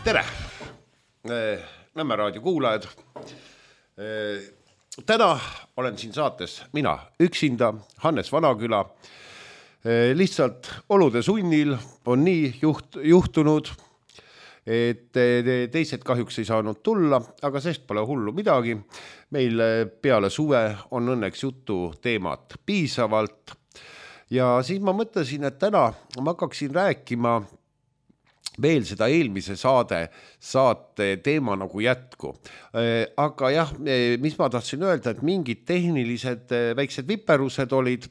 Tere, Nõmme raadio kuulajad. Täna olen siin saates mina üksinda, Hannes Vanaküla. Lihtsalt olude sunnil on nii juhtunud, et teised kahjuks ei saanud tulla, aga sest pole hullu midagi. Meil peale suve on õnneks jutu teemat piisavalt. Ja siis ma mõtlesin, et täna ma hakkaksin rääkima veel seda eelmise saate teema nagu jätku. Aga jah, mis ma tahtsin öelda, et mingid tehnilised väiksed viperused olid,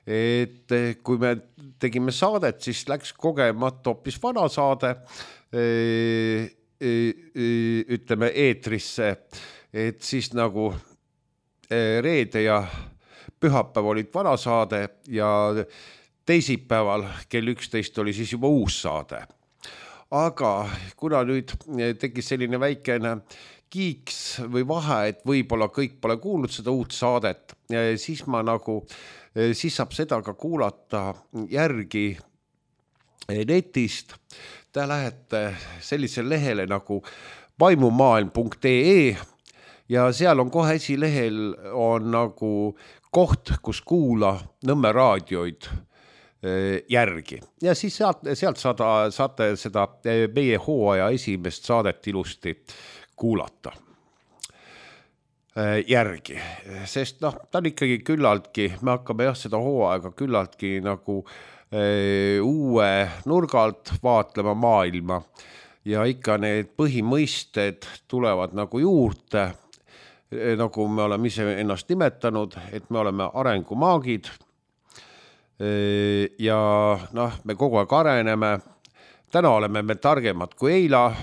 et kui me tegime saadet, siis läks kogemata hoopis vana saade, ütleme eetrisse, et siis nagu reede ja pühapäev olid vana saade ja teisipäeval kell 11 oli siis juba uus saade. Aga kuna nüüd tekkis selline väikene kiiks või vahe, et võib-olla kõik pole kuulnud seda uut saadet, siis saab seda ka kuulata järgi netist. Te lähete sellisele lehele nagu vaimumaailm.ee ja seal on kohe esilehel on nagu koht, kus kuula Nõmme raadioid järgi. Ja siis sealt saate seda meie hooaja esimest saadet ilusti kuulata järgi. Sest ta on ikkagi küllaltki, me hakkame seda hooaega küllaltki nagu uue nurgalt vaatlema maailma ja ikka need põhimõisted tulevad nagu juurde, nagu me oleme ise ennast nimetanud, et me oleme arengumaagid. Ja me kogu aeg areneme. Täna oleme me targemad kui eila,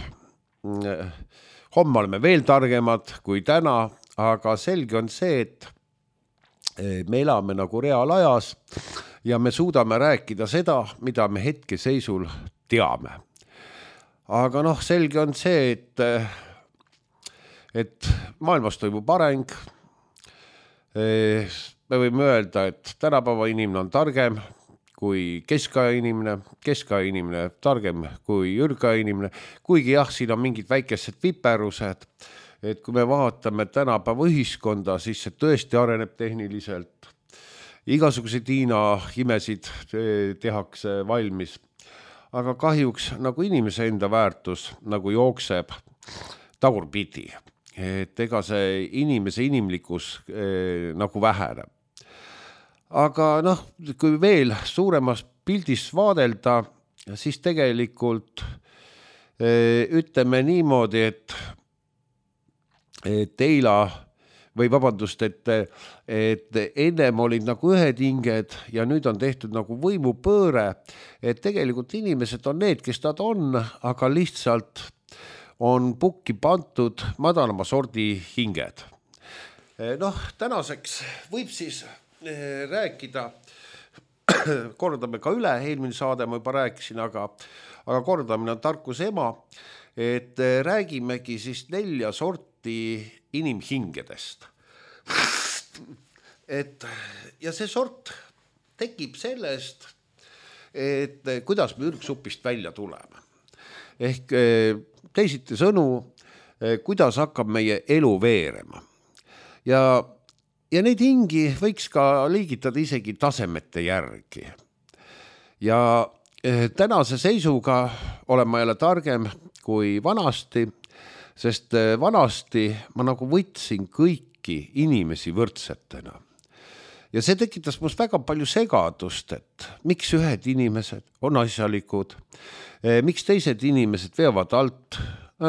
homme oleme veel targemad kui täna, aga selge on see, et me elame nagu reaalajas ja me suudame rääkida seda, mida me hetkeseisul teame. Aga selge on see, et maailmas toimub areng. Me võime öelda, et tänapäeva inimene on targem kui keskaja inimene targem kui ürgaja inimene, kuigi jah, siin on mingid väikesed viperused, et kui me vaatame tänapäeva ühiskonda, siis see tõesti areneb tehniliselt. Igasuguseid Hiina imesid tehakse valmis, aga kahjuks nagu inimese enda väärtus nagu jookseb tagurpidi, et ega see inimese inimlikkus nagu väheneb. Aga kui veel suuremas pildis vaadelda, siis tegelikult ütleme niimoodi, et eila või vabandust, et ennem olid nagu ühed hinged ja nüüd on tehtud nagu võimupööre, et tegelikult inimesed on need, kes nad on, aga lihtsalt on pukki pantud madalama sordi hinged. Tänaseks võib siis rääkida, kordame ka üle, eelmine saade ma juba rääkisin, aga kordamine on tarkuse ema, et räägimegi siis 4 sorti inimhingedest. Ja see sort tekib sellest, et kuidas me ürgsupist välja tuleme. Ehk teisiti sõnu, kuidas hakkab meie elu veerema. Ja neid hingi võiks ka liigitada isegi tasemete järgi. Ja tänase seisuga olen ma jälle targem kui vanasti, sest vanasti ma nagu võtsin kõiki inimesi võrdsetena. Ja see tekitas must väga palju segadust, et miks ühed inimesed on asjalikud, miks teised inimesed veavad alt,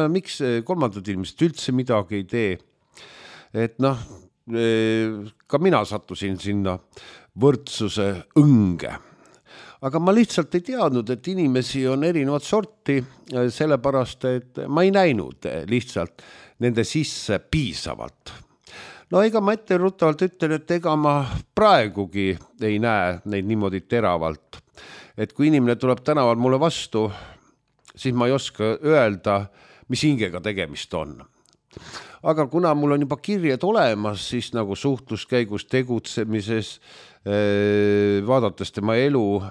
miks kolmandad inimesed üldse midagi ei tee. Et ka mina sattusin sinna võrdsuse õnge. Aga ma lihtsalt ei teadnud, et inimesi on erinevat sorti, sellepärast, et ma ei näinud lihtsalt nende sisse piisavalt. Ega ma etteruttavalt ütlen, et ega ma praegugi ei näe neid niimoodi teravalt. Et kui inimene tuleb tänaval mulle vastu, siis ma ei oska öelda, mis hingega tegemist on. Aga kuna mul on juba kirjed olemas, siis nagu suhtluskäigus tegutsemises, vaadates tema elu,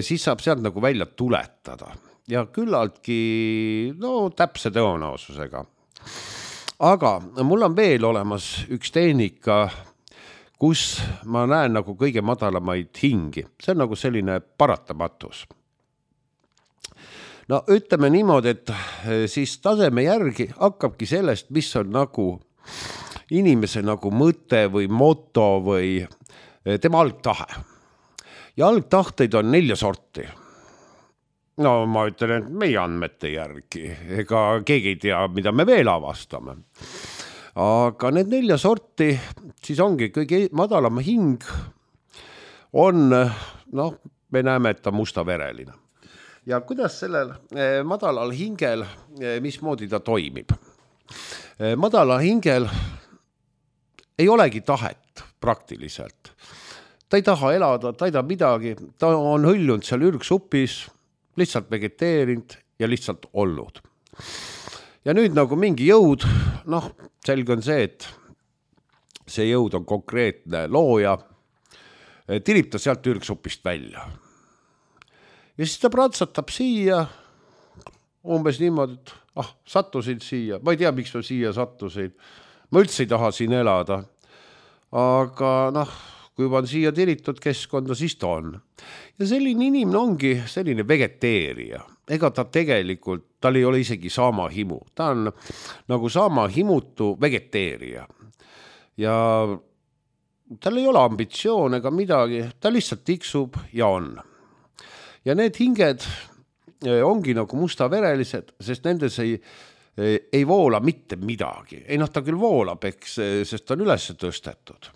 siis saab sealt nagu välja tuletada. ja küllaltki täpse tõenäosusega. Aga mul on veel olemas üks tehnika, kus ma näen nagu kõige madalamaid hingi. See on nagu selline paratamatus. No ütleme niimoodi, et siis taseme järgi hakkabki sellest, mis on nagu inimese nagu mõte või moto või tema algtahe. Ja algtahteid on 4 sorti. No ma ütlen, et meie andmete järgi, ega keegi ei tea, mida me veel avastame. Aga need 4 sorti, siis ongi kõige madalam hing on, me näeme, et ta mustavereline. Ja kuidas sellel madalal hingel, mismoodi ta toimib? Madalal hingel ei olegi tahet praktiliselt. Ta ei taha elada, ta ei taha midagi, ta on hõljunud seal ürgsupis, lihtsalt vegeteerinud ja lihtsalt olnud. Ja nüüd nagu mingi jõud, selge on see, et see jõud on konkreetne looja, tirib ta sealt ürgsupist välja. Ja siis ta pratsatab siia, umbes niimoodi, et sattusin siia, ma ei tea, miks ma siia sattusin, ma üldse ei taha siin elada, aga kui juba on siia tiritud keskkonda, siis ta on. Ja selline inimene ongi selline vegeteerija, ega ta tegelikult, tal ei ole isegi saama himu, ta on nagu saama himutu vegeteerija ja tal ei ole ambitsioon ega midagi, ta lihtsalt tiksub ja on. Ja need hinged ongi nagu mustaverelised, sest nendes ei voola mitte midagi. Ei ta küll voolab, sest ta on üles tõstetud.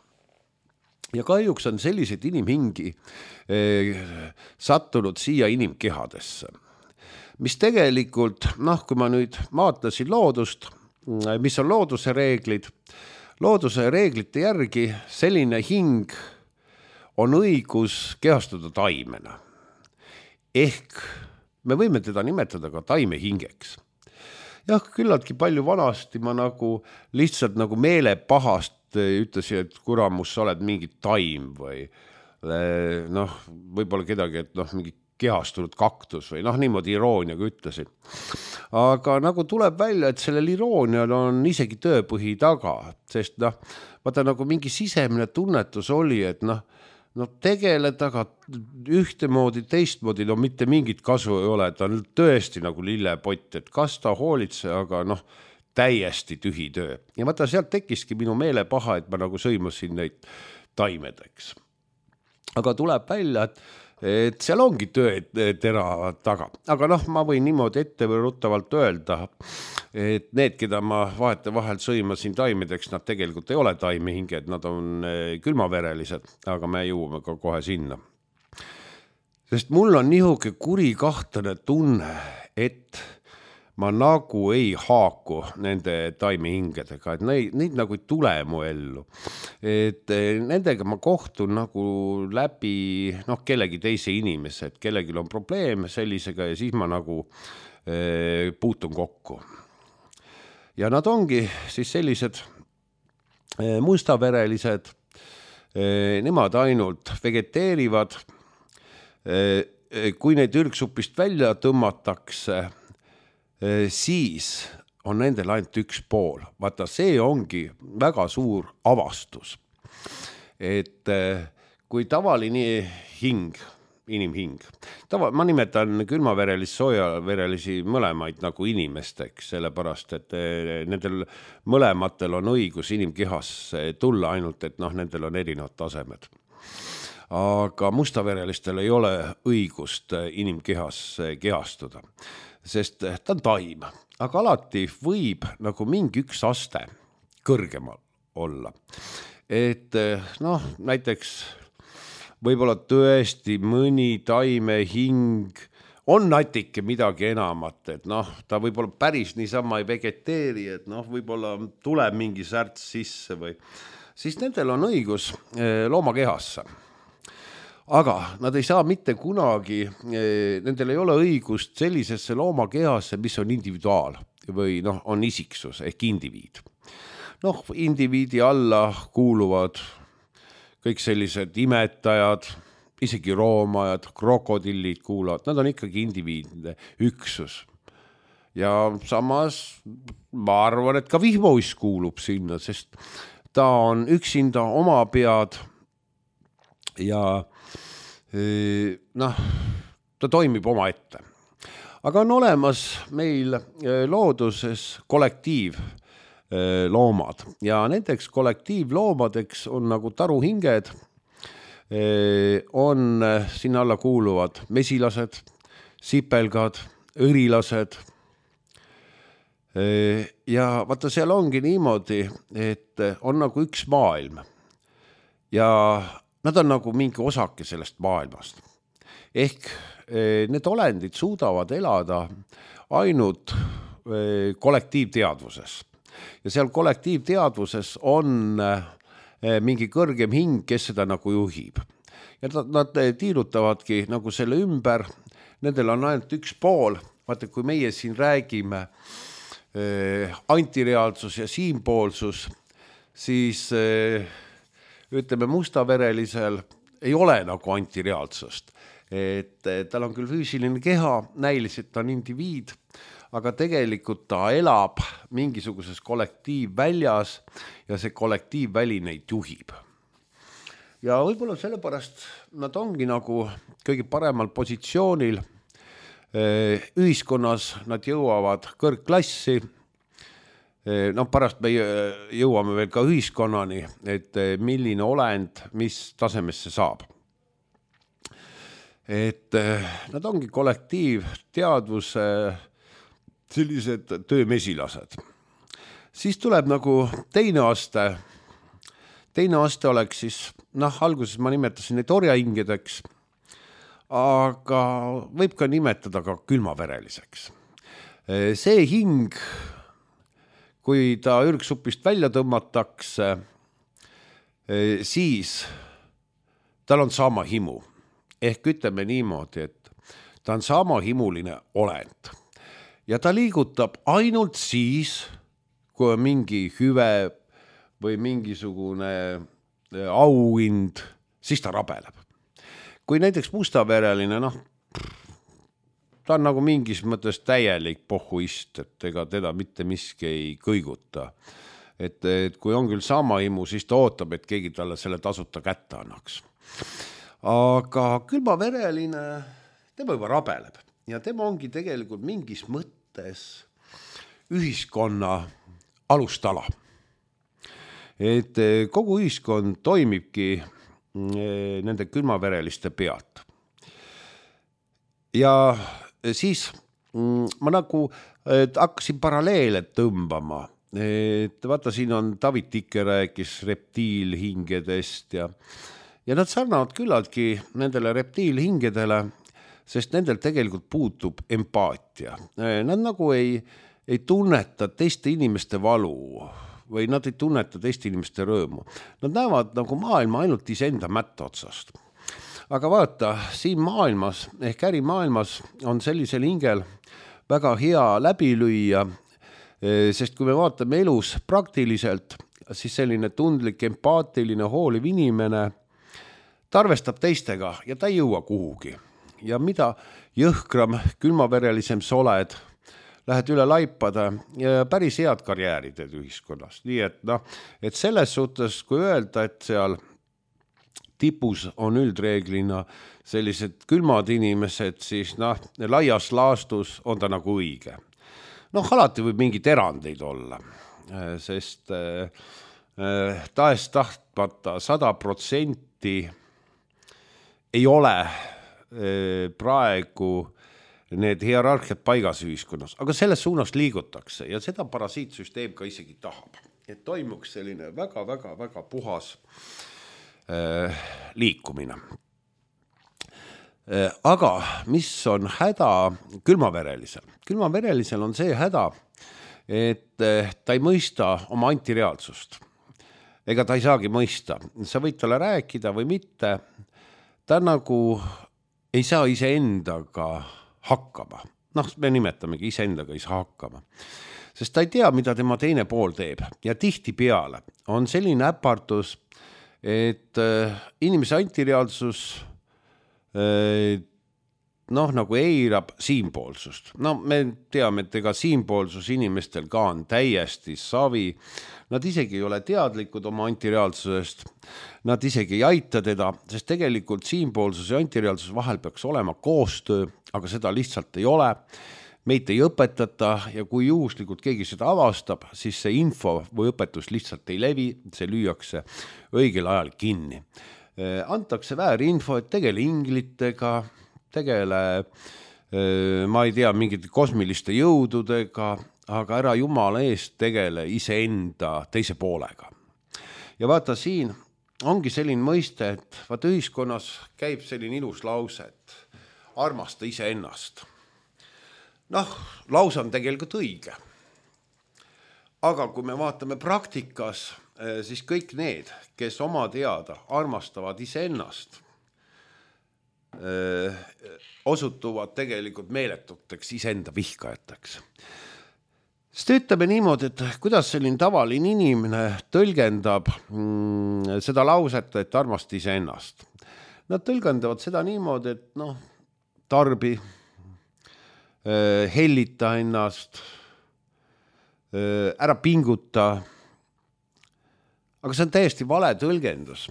Ja kahjuks on sellised inimhingi sattunud siia inimkehadesse. Mis tegelikult, kui ma nüüd vaatasin loodust, mis on looduse reeglid, looduse reeglite järgi selline hing on õigus kehastuda taimena. Ehk me võime teda nimetada ka taimehingeks. Jah, küllaltki palju vanasti ma nagu lihtsalt nagu meelepahast ütlesin, et kuramus, sa oled mingi taim või võib-olla kedagi, et mingi kehastunud kaktus või niimoodi irooniaga ütlesin. Aga nagu tuleb välja, et sellel iroonial on isegi tööpõhi taga, sest vaata nagu mingi sisemine tunnetus oli, et tegeleda, aga ühtemoodi, teistmoodi, mitte mingit kasu ei ole, ta on tõesti nagu lillepott, et kas ta hoolitse, aga täiesti tühi töö. Ja vaata, sealt tekkiski minu meelepaha, et ma nagu sõimasin neid taimedeks. Aga tuleb välja, et seal ongi töötera taga. Aga ma võin niimoodi ettevõruttavalt öelda, et need, keda ma vahetevahel sõimasin taimedeks, nad tegelikult ei ole taimehinged, nad on külmaverelised, aga me jõuame ka kohe sinna. Sest mul on nihuke kuri kahtlane tunne, et ma nagu ei haaku nende taimehingedega, et neid nagu ei tule mu ellu. Et nendega ma kohtun nagu läbi kellegi teise inimese, et kellegi on probleem sellisega ja siis ma nagu puutun kokku. Ja nad ongi siis sellised mustaverelised, nemad ainult vegeteerivad, kui neid ürgsupist välja tõmmatakse, siis on nendel ainult üks pool. Vaata, see ongi väga suur avastus. Et kui tavaline hing, inimhing, ma nimetan külmaverelisi, soojaverelisi mõlemaid nagu inimesteks, sellepärast, et nendel mõlematel on õigus inimkehas tulla ainult, et nendel on erinevad tasemed. Aga mustaverelistel ei ole õigust inimkehas kehastuda. Sest ta on taim, aga alati võib nagu mingi üks aste kõrgemal olla. Et näiteks võib-olla tõesti mõni taimehing on natuke midagi enamat, et ta võib-olla päris niisama ei vegeteeri, et võib-olla tuleb mingi särts sisse või siis nendel on õigus loomakehasse. Aga nad ei saa mitte kunagi, nendel ei ole õigust sellisesse loomakehasse, mis on individuaal või on isiksus ehk indiviid. Indiviidi alla kuuluvad kõik sellised imetajad, isegi roomajad, krokodillid kuulavad, nad on ikkagi indiviidne üksus. Ja samas ma arvan, et ka vihmauiss kuulub sinna, sest ta on üksinda oma pead ja ta toimib oma ette. Aga on olemas meil looduses kollektiivloomad ja nendeks kollektiivloomadeks on nagu taruhinged, on sinna alla kuuluvad mesilased, sipelgad, õrilased. Ja vaata, seal ongi niimoodi, et on nagu üks maailm ja nad on nagu mingi osake sellest maailmast. Ehk need olendid suudavad elada ainult kollektiivteadvuses. Ja seal kollektiivteadvuses on mingi kõrgem hing, kes seda nagu juhib. Ja nad tiirutavadki nagu selle ümber, nendel on ainult üks pool. Vaata, kui meie siin räägime antireaalsus ja siinpoolsus, siis ütleme mustaverelisel ei ole nagu antireaalsust. Et tal on küll füüsiline keha, näiliselt ta on indiviid, aga tegelikult ta elab mingisuguses kollektiivväljas ja see kollektiivväli neid juhib. Ja võib-olla sellepärast nad ongi nagu kõige paremal positsioonil. Ühiskonnas nad jõuavad kõrgklassi. Pärast me jõuame veel ka ühiskonnani, et milline olend, mis tasemesse saab. Et nad ongi kollektiivteadvuse sellised töömesilased. Siis tuleb nagu teine aste. Teine aste oleks siis, alguses ma nimetasin neid orjahingedeks, aga võib ka nimetada ka külmavereliseks. See hing, kui ta ürgsupist välja tõmmatakse, siis tal on sama himu. Ehk ütleme niimoodi, et ta on sama himuline olend. Ja ta liigutab ainult siis, kui on mingi hüve või mingisugune auhind, siis ta rabeleb. Kui näiteks mustavereline, ta on nagu mingis mõttes täielik pohhuist, et ega teda mitte miski ei kõiguta. Et kui on küll sama himu, siis ta ootab, et keegi talle selle tasuta kätte annaks. Aga külmavereline, tema juba rabeleb ja tema ongi tegelikult mingis mõttes ühiskonna alustala. Et kogu ühiskond toimibki nende külmavereliste pealt. Ja siis ma nagu hakkasin paralleele tõmbama. Et vaata, siin on David Tikke rääkis reptiilhingedest ja nad sarnavad küllaltki nendele reptiilhingedele, sest nendel tegelikult puutub empaatia. Nad nagu ei tunneta teiste inimeste valu või nad ei tunneta teiste inimeste rõõmu. Nad näevad nagu maailma ainult iseenda mätta otsast. Aga vaata, siin maailmas ehk ärimaailmas on sellisel hingel väga hea läbi lüüa, sest kui me vaatame elus praktiliselt, siis selline tundlik, empaatiline, hooliv inimene ta arvestab teistega ja ta ei jõua kuhugi. Ja mida jõhkram, külmaverelisem sa oled, lähed üle laipade ja päris head karjääri teed ühiskonnas. Nii et selles suhtes, kui öelda, et seal tipus on üldreeglina sellised külmad inimesed, siis laias laastus on ta nagu õige. Alati võib mingid erandeid olla, sest tahes tahtmata 100% ei ole praegu need hierarhiad paigas ühiskonnas, aga selles suunas liigutakse ja seda parasiitsüsteem ka isegi tahab. Et toimuks selline väga puhas liikumine. Aga mis on häda külmaverelisel? Külmaverelisel on see häda, et ta ei mõista oma antireaalsust. Ega ta ei saagi mõista. Sa võid talle rääkida või mitte. Ta nagu ei saa iseendaga hakkama. Me nimetamegi iseendaga ei saa hakkama. Sest ta ei tea, mida tema teine pool teeb. Ja tihtipeale on selline äpardus, et inimese antireaalsus noh, nagu eirab siinpoolsust. No me teame, et ega siinpoolsus inimestel ka on täiesti savi. Nad isegi ei ole teadlikud oma antireaalsusest. Nad isegi ei aita teda, sest tegelikult siinpoolsus ja antireaalsus vahel peaks olema koostöö, aga seda lihtsalt ei ole. Meid ei õpetata ja kui juhuslikult keegi seda avastab, siis see info või õpetus lihtsalt ei levi, see lüüakse õigel ajal kinni. Antakse väärinfo, et tegele inglitega, tegele, ma ei tea, mingite kosmiliste jõududega, aga ära jumala eest tegele iseenda teise poolega. Ja vaata siin ongi selline mõiste, et vaata ühiskonnas käib selline ilus lause, et armasta iseennast. Noh, lause on tegelikult õige. Aga kui me vaatame praktikas, siis kõik need, kes oma teada armastavad iseennast, osutuvad tegelikult meeletuteks iseenda vihkajateks. Sest ütleme niimoodi, et kuidas selline tavaline inimene tõlgendab seda lauset, et armasta iseennast. Nad tõlgendavad seda niimoodi, et noh, tarbi, hellita ennast, ära pinguta. Aga see on täiesti vale tõlgendus.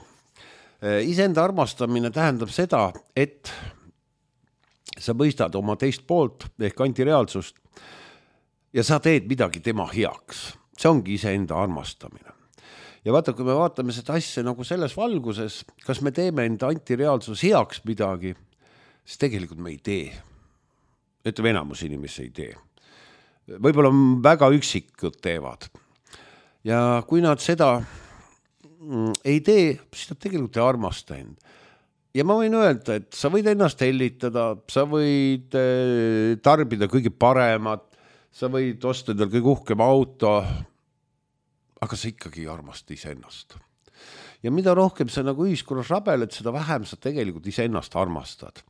Iseenda armastamine tähendab seda, et sa mõistad oma teist poolt ehk antireaalsust ja sa teed midagi tema heaks. See ongi iseenda armastamine. Ja vaata, kui me vaatame seda asja nagu selles valguses, kas me teeme enda antireaalsus heaks midagi, siis tegelikult me ei tee. Ütleme, enamus inimesi ei tee. Võib-olla väga üksikud teevad. Ja kui nad seda ei tee, siis nad tegelikult ei armasta end. Ja ma võin öelda, et sa võid ennast hellitada, sa võid tarbida kõige paremat, sa võid osta endal kõige uhkem auto, aga sa ikkagi ei armasta iseennast. Ja mida rohkem sa nagu ühiskonnas rabeled, seda vähem sa tegelikult iseennast armastad.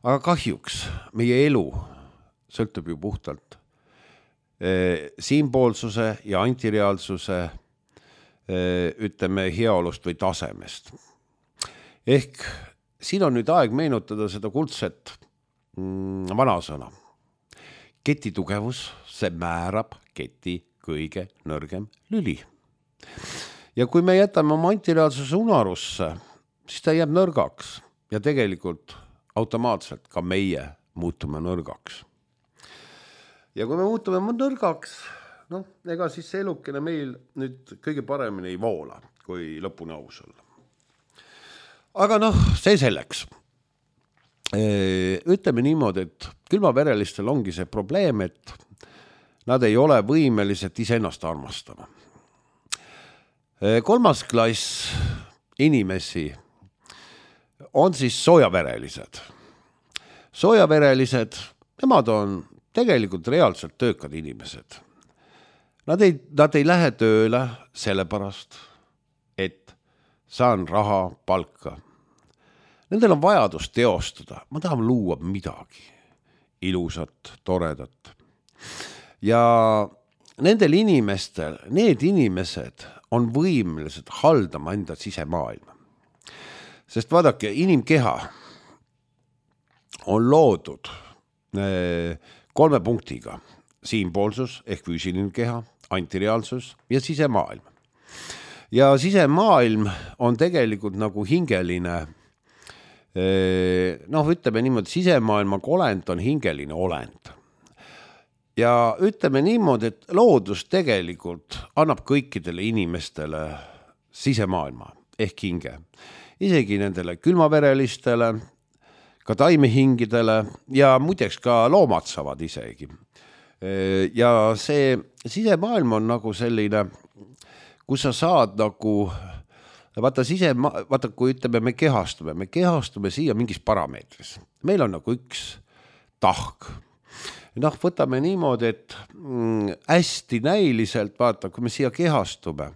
Aga kahjuks meie elu sõltub ju puhtalt siinpoolsuse ja antireaalsuse ütleme heaolust või tasemest. Ehk siin on nüüd aeg meenutada seda kuldset vanasõna. Keti tugevus, see määrab keti kõige nõrgem lüli. Ja kui me jätame oma antireaalsuse unarusse, siis ta jääb nõrgaks ja tegelikult automaatselt ka meie muutume nõrgaks. Ja kui me muutume nõrgaks, noh, ega siis see elukene meil nüüd kõige paremini ei voola, kui lõpuni aus olla. Aga noh, see selleks. Ütleme niimoodi, et külmaverelistel ongi see probleem, et nad ei ole võimelised iseennast armastama. 3. klass inimesi on siis soojaverelised. Soojaverelised, nemad on tegelikult reaalselt töökad inimesed. Nad ei lähe tööle sellepärast, et saan raha, palka. Nendel on vajadus teostada. Ma tahan luua midagi ilusat, toredat. Ja nendel inimestel, need inimesed on võimelised haldama enda sisemaailma. Sest vaadake, inimkeha on loodud 3 punktiga. Siinpoolsus ehk füüsiline keha, antireaalsus ja sisemaailm. Ja sisemaailm on tegelikult nagu hingeline, noh, ütleme niimoodi, sisemaailma olend on hingeline olend. Ja ütleme niimoodi, et loodus tegelikult annab kõikidele inimestele sisemaailma ehk hinge. Isegi nendele külmaverelistele, ka taimehingidele ja muideks ka loomad saavad isegi. Ja see sisemaailm on nagu selline, kus sa saad nagu, vaata kui ütleme, me kehastume siia mingis parameetris. Meil on nagu üks tahk. Noh, võtame niimoodi, et hästi näiliselt, vaata, kui me siia kehastume,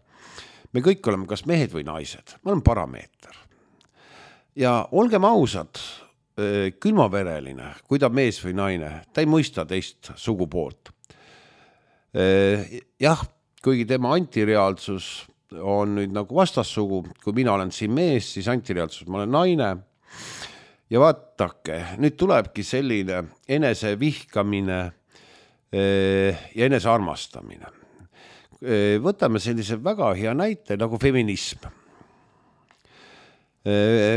me kõik oleme kas mehed või naised, me oleme parameeter. Ja olgem ausad, külmavereline, kui ta mees või naine, ta ei mõista teist sugupoolt. Jah, kuigi tema antireaalsus on nüüd nagu vastassugu, kui mina olen siin mees, siis antireaalsus ma olen naine. ja vaatake, nüüd tulebki selline enesevihkamine ja enesearmastamine. Võtame sellise väga hea näite nagu feminism.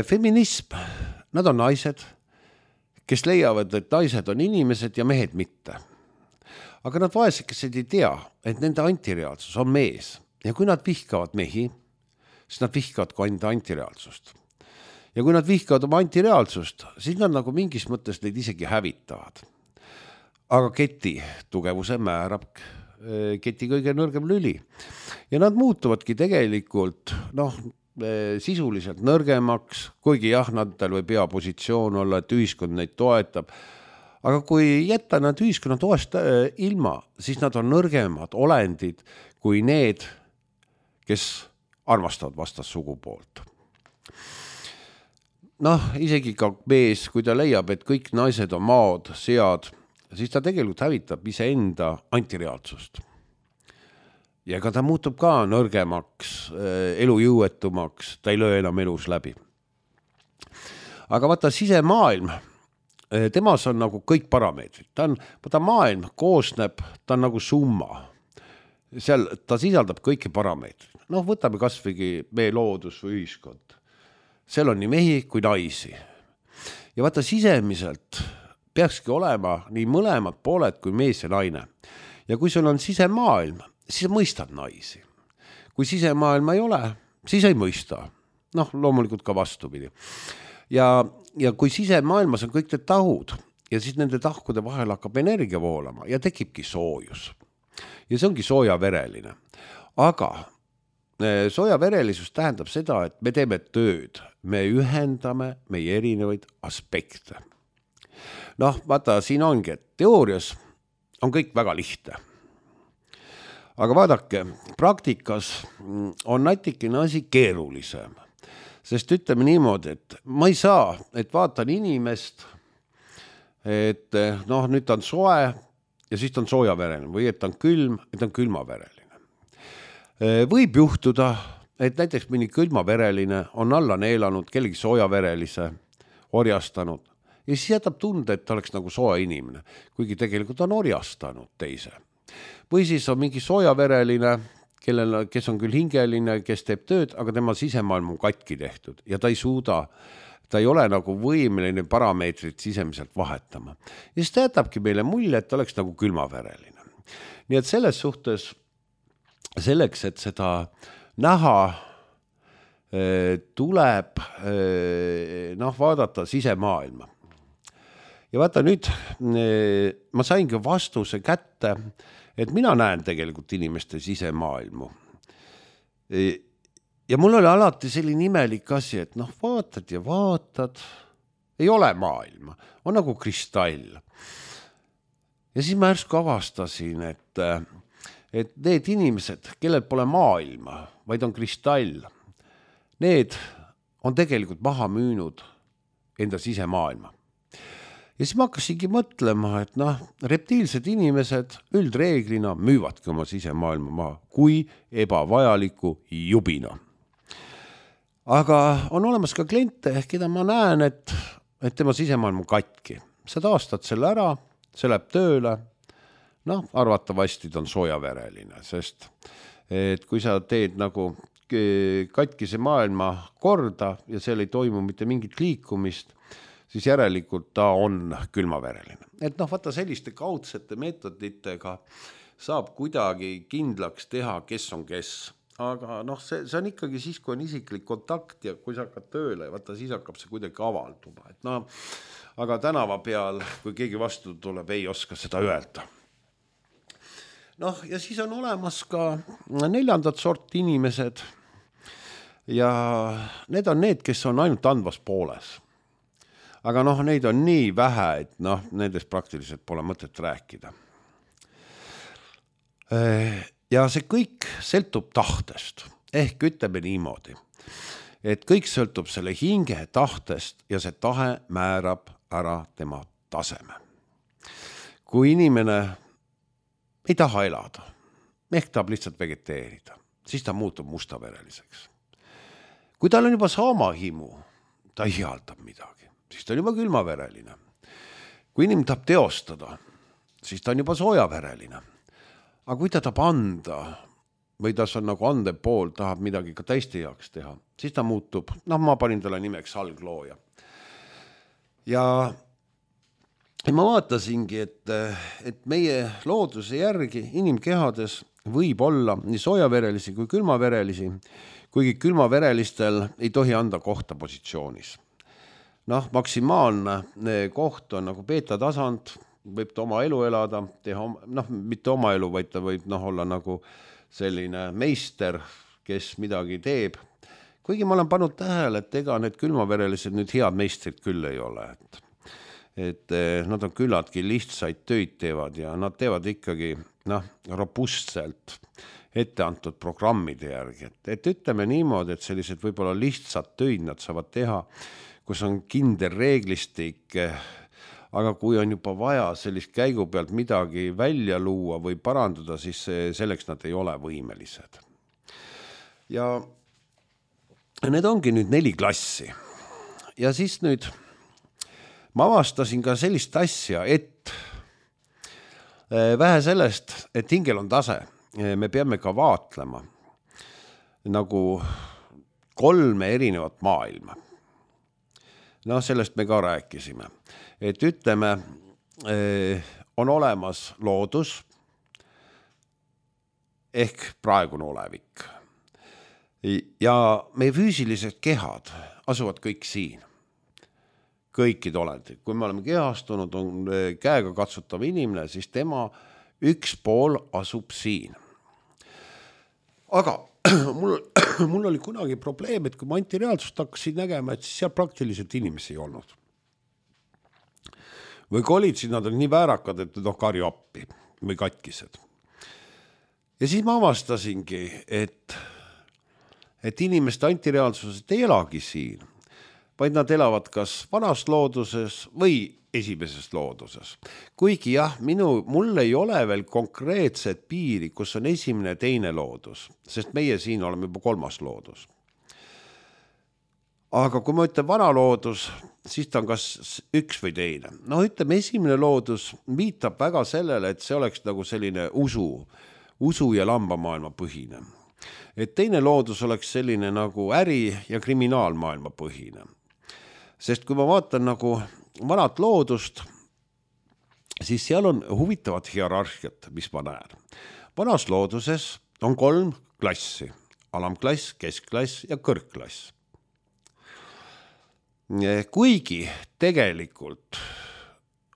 Feminism, nad on naised, kes leiavad, et naised on inimesed ja mehed mitte. Aga nad vaesekesed ei tea, et nende antireaalsus on mees. Ja kui nad vihkavad mehi, siis nad vihkavad ka enda antireaalsust. Ja kui nad vihkavad oma antireaalsust, siis nad nagu mingis mõttes neid isegi hävitavad. Aga keti tugevuse määrab keti kõige nõrgem lüli. Ja nad muutuvadki tegelikult sisuliselt nõrgemaks, kuigi jah, nadel võib hea positsioon olla, et ühiskond neid toetab. Aga kui jätta nad ühiskonna toest ilma, siis nad on nõrgemad olendid kui need, kes armastavad vastas sugupoolt. Isegi ka mees, kui ta leiab, et kõik naised on maod, sead, siis ta tegelikult hävitab iseenda antireaalsust. Ja ega ta muutub ka nõrgemaks, elujõuetumaks, ta ei löö enam elus läbi. Aga vaata sisemaailm, temas on nagu kõik parameetrid. Ta maailm koosneb, ta on nagu summa. Seal ta sisaldab kõiki parameetrid. Võtame kas või meie loodus või ühiskond. Seal on nii mehi kui naisi. Ja vaata sisemiselt peakski olema nii mõlemad pooled kui mees ja naine. Ja kui sul on sisemaailm, siis mõistad naisi. Kui sisemaailma ei ole, siis ei mõista. Loomulikult ka vastupidi. Ja kui sisemaailmas on kõik need tahud ja siis nende tahkude vahel hakkab energia voolama ja tekibki soojus. Ja see ongi soojavereline. Aga soojaverelisus tähendab seda, et me teeme tööd. Me ühendame meie erinevaid aspekte. Vaata, siin ongi, et teoorias on kõik väga lihtne. Aga vaadake, praktikas on natikene asi keerulisem. Sest ütleme niimoodi, et ma ei saa, et vaatan inimest, et nüüd ta on soe ja siis ta on soojavereline või et ta on külm, et ta on külmavereline. Võib juhtuda, et näiteks mõni külmavereline on alla neelanud kellegi soojaverelise, orjastanud ja siis jätab tunde, et ta oleks nagu soe inimene, kuigi tegelikult on orjastanud teise. Või siis on mingi soojavereline, kes on küll hingeline, kes teeb tööd, aga tema sisemaailm on katki tehtud ja ta ei suuda, ta ei ole nagu võimeline parameetrit sisemiselt vahetama. Ja siis ta jätabki meile mulje, et ta oleks nagu külmavereline. Nii et selles suhtes selleks, et seda näha, tuleb vaadata sisemaailma. Ja vaata nüüd, ma saingi vastuse kätte, et mina näen tegelikult inimeste sisemaailmu. Ja mul oli alati selline imelik asi, et vaatad ja vaatad, ei ole maailma, on nagu kristall. Ja siis ma järsku avastasin, et need inimesed, kellel pole maailma, vaid on kristall, need on tegelikult maha müünud enda sisemaailma. Ja siis ma hakkasingi mõtlema, et reptiilsed inimesed üldreeglina müüvadki oma sisemaailma maha kui ebavajaliku jubina. Aga on olemas ka kliente, keda ma näen, et tema sisemaailm on katki. Sa taastad selle ära, see läheb tööle, arvatavasti ta on soojavereline, sest et kui sa teed nagu katkise maailma korda ja seal ei toimu mitte mingit liikumist, siis järelikult ta on külmavereline. Et vaata selliste kaudsete meetoditega saab kuidagi kindlaks teha, kes on kes. Aga see on ikkagi siis, kui on isiklik kontakt ja kui sa hakkad tööle, vaata siis hakkab see kuidagi avalduma. Aga tänava peal, kui keegi vastu tuleb, ei oska seda öelda. Ja siis on olemas ka 4. sorti inimesed ja need on need, kes on ainult andvas pooles. Aga neid on nii vähe, et nendest praktiliselt pole mõtet rääkida. Ja see kõik sõltub tahtest. Ehk ütleme niimoodi, et kõik sõltub selle hinge tahtest ja see tahe määrab ära tema taseme. Kui inimene ei taha elada, ehk tahab lihtsalt vegeteerida, siis ta muutub mustavereliseks. Kui tal on juba saamahimu, ta ihaldab midagi. siis ta on juba külmavereline. Kui inimene tahab teostada, siis ta on juba soojavereline. Aga kui ta tahab anda või ta on nagu ande pool, tahab midagi ka teiste jaoks teha, siis ta muutub, ma panin talle nimeks alglooja. Ja ma vaatasingi, et meie looduse järgi inimkehades võib olla nii soojaverelisi kui külmaverelisi, kuigi külmaverelistel ei tohi anda kohta positsioonis. Maksimaalne koht on nagu beeta-tasand, võib ta oma elu elada, teha, mitte oma elu, vaid ta võib olla nagu selline meister, kes midagi teeb. Kuigi ma olen pannud tähele, et ega need külmaverelised nüüd head meistrid küll ei ole, et nad on küllaltki lihtsaid töid teevad ja nad teevad ikkagi robustselt etteantud programmide järgi. Et ütleme niimoodi, et sellised võib-olla lihtsad töid nad saavad teha, kus on kindel reeglistik, aga kui on juba vaja sellist käigu pealt midagi välja luua või parandada, siis selleks nad ei ole võimelised. Ja need ongi nüüd 4 klassi. Ja siis nüüd ma avastasin ka sellist asja, et vähe sellest, et hingel on tase, me peame ka vaatlema nagu 3 erinevat maailma. Sellest me ka rääkisime. Et ütleme, on olemas loodus ehk praegune olevik. Ja meie füüsilised kehad asuvad kõik siin. Kõikid olendid. Kui me oleme kehastunud, on käega katsutav inimene, siis tema üks pool asub siin. Aga mul oli kunagi probleem, et kui ma antireaalsust hakkasin nägema, et siis seal praktiliselt inimesi ei olnud. Või kui olid, siis nad olid nii väärakad, et karju appi või katkised. Ja siis ma avastasingi, et inimeste antireaalsused ei elagi siin, vaid nad elavad kas vanas looduses või esimeses looduses. Kuigi mul ei ole veel konkreetset piiri, kus on esimene ja teine loodus, sest meie siin oleme juba 3. loodus. Aga kui ma ütlen vana loodus, siis ta on kas üks või teine. Ütleme, esimene loodus viitab väga sellele, et see oleks nagu selline usu ja lambamaailma põhine. Et teine loodus oleks selline nagu äri- ja kriminaalmaailma põhine. Sest kui ma vaatan nagu vanat loodust, siis seal on huvitavat hierarhiat, mis ma näen. Vanas looduses on 3 klassi, alamklass, keskklass ja kõrgklass. Kuigi tegelikult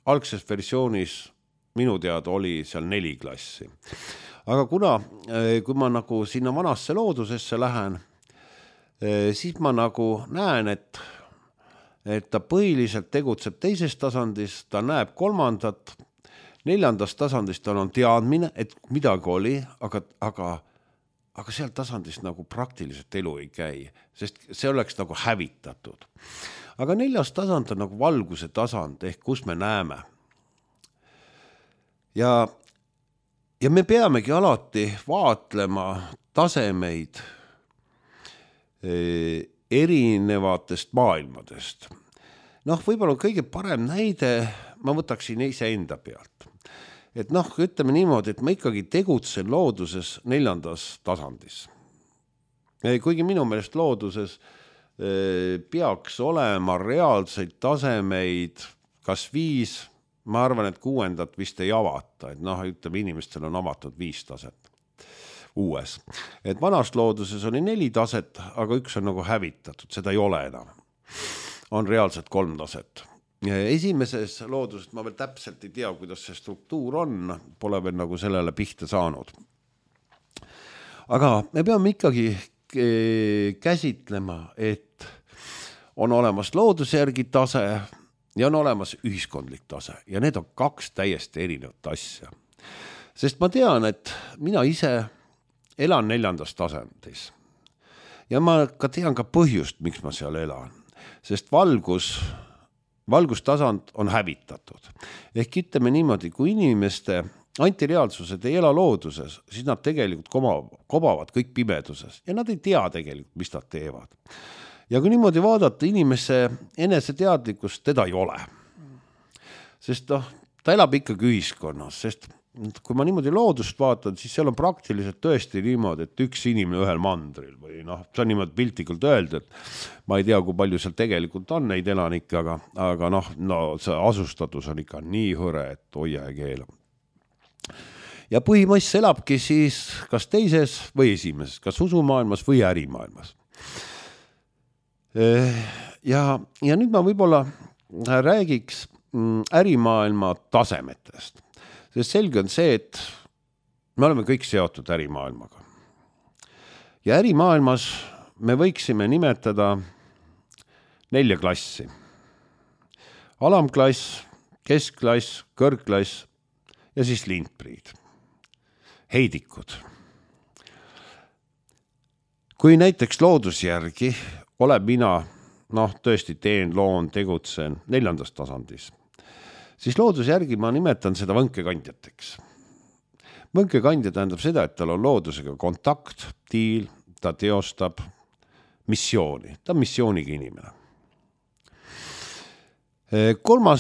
algses versioonis minu teada oli seal 4 klassi. Aga kui ma nagu sinna vanasse loodusesse lähen, siis ma nagu näen, et ta põhiliselt tegutseb teises tasandis, ta näeb 3. 4. tasandist on teadmine, et midagi oli, aga seal tasandist nagu praktiliselt elu ei käi, sest see oleks nagu hävitatud. Aga 4. tasand on nagu valguse tasand, ehk kus me näeme. Ja me peamegi alati vaatlema tasemeid erinevatest maailmadest. Võib-olla kõige parem näide, ma võtaksin iseenda pealt. Et ütleme niimoodi, et ma ikkagi tegutsen looduses 4. tasandis. Kuigi minu meelest looduses peaks olema reaalseid tasemeid, kas 5, ma arvan, et 6. vist ei avata, et ütleme, inimestel on avatud 5 taset uues. Et vanas looduses oli 4 taset, aga 1 on nagu hävitatud, seda ei ole enam. On reaalselt 3 taset. Esimeses looduses ma veel täpselt ei tea, kuidas see struktuur on, pole veel nagu sellele pihta saanud. Aga me peame ikkagi käsitlema, et on olemas looduse järgi tase ja on olemas ühiskondlik tase ja need on 2 täiesti erinevat asja. Sest ma tean, et mina ise elan 4. tasandis ja ma ka tean ka põhjust, miks ma seal elan, sest valgustasand on hävitatud. Ehk ütleme niimoodi, kui inimeste antireaalsused ei ela looduses, siis nad tegelikult kobavad kõik pimeduses ja nad ei tea tegelikult, mis nad teevad. Ja kui niimoodi vaadata inimese eneseteadlikkust, teda ei ole. Sest ta elab ikkagi ühiskonnas, sest kui ma niimoodi loodust vaatan, siis seal on praktiliselt tõesti niimoodi, et üks inimene ühel mandril või see on niimoodi piltlikult öelda, et ma ei tea, kui palju seal tegelikult on neid elanikke, aga see asustatus on ikka nii hõre, et hoia ja keela. Ja põhimass elabki siis kas teises või esimeses, kas usumaailmas või ärimaailmas. Ja nüüd ma võib-olla räägiks ärimaailma tasemetest. Sest selge on see, et me oleme kõik seotud ärimaailmaga. Ja ärimaailmas me võiksime nimetada 4 klassi. Alamklass, keskklass, kõrgklass ja siis lindpriid. Heidikud. Kui näiteks loodusjärgi olen mina, tõesti teen, loon, tegutsen 4. tasandis, siis loodusjärgi ma nimetan seda võnkekandjateks. Võnkekandja tähendab seda, et tal on loodusega kontakt, tiil, ta teostab missiooni, ta on missiooniga inimene. 3.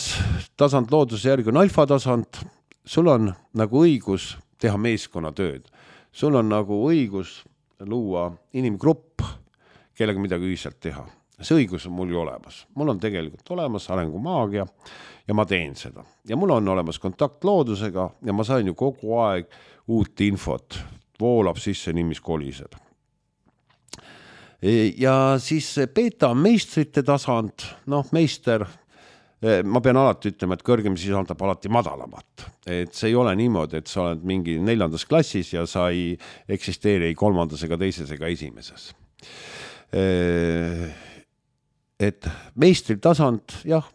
tasand loodusjärgi on alfa tasand, sul on nagu õigus teha meeskonnatööd. Sul on nagu õigus luua inimgrupp, kellega midagi ühiselt teha. See õigus on mul ju olemas. Mul on tegelikult olemas arengumaagia ja ma teen seda. Ja mul on olemas kontakt loodusega ja ma sain ju kogu aeg uut infot. Voolab sisse nii, mis koliseb. Ja siis beta meistrite tasand, meister, ma pean alati ütlema, et kõrgem sisaldab alati madalamat. Et see ei ole niimoodi, et sa oled mingi 4. klassis ja sa ei eksisteeri ei 3. ega 2. ega 1. Et meistri tasand, jah,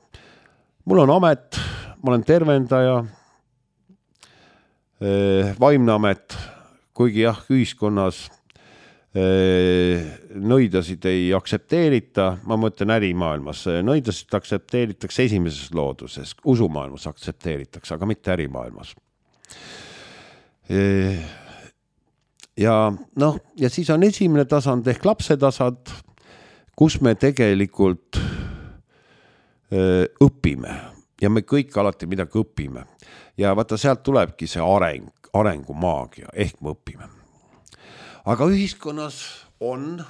mul on amet, ma olen tervendaja, vaimne amet, kuigi jah, ühiskonnas nõidasid ei aksepteerita, ma mõtlen ärimaailmas, nõidasid aksepteeritakse esimeses looduses, usumaailmas aksepteeritakse, aga mitte ärimaailmas. Ja siis on esimene tasand ehk lapse tasand, kus me tegelikult õpime ja me kõik alati midagi õpime. Ja vaata, sealt tulebki see arengumaagia ehk me õpime. Aga ühiskonnas on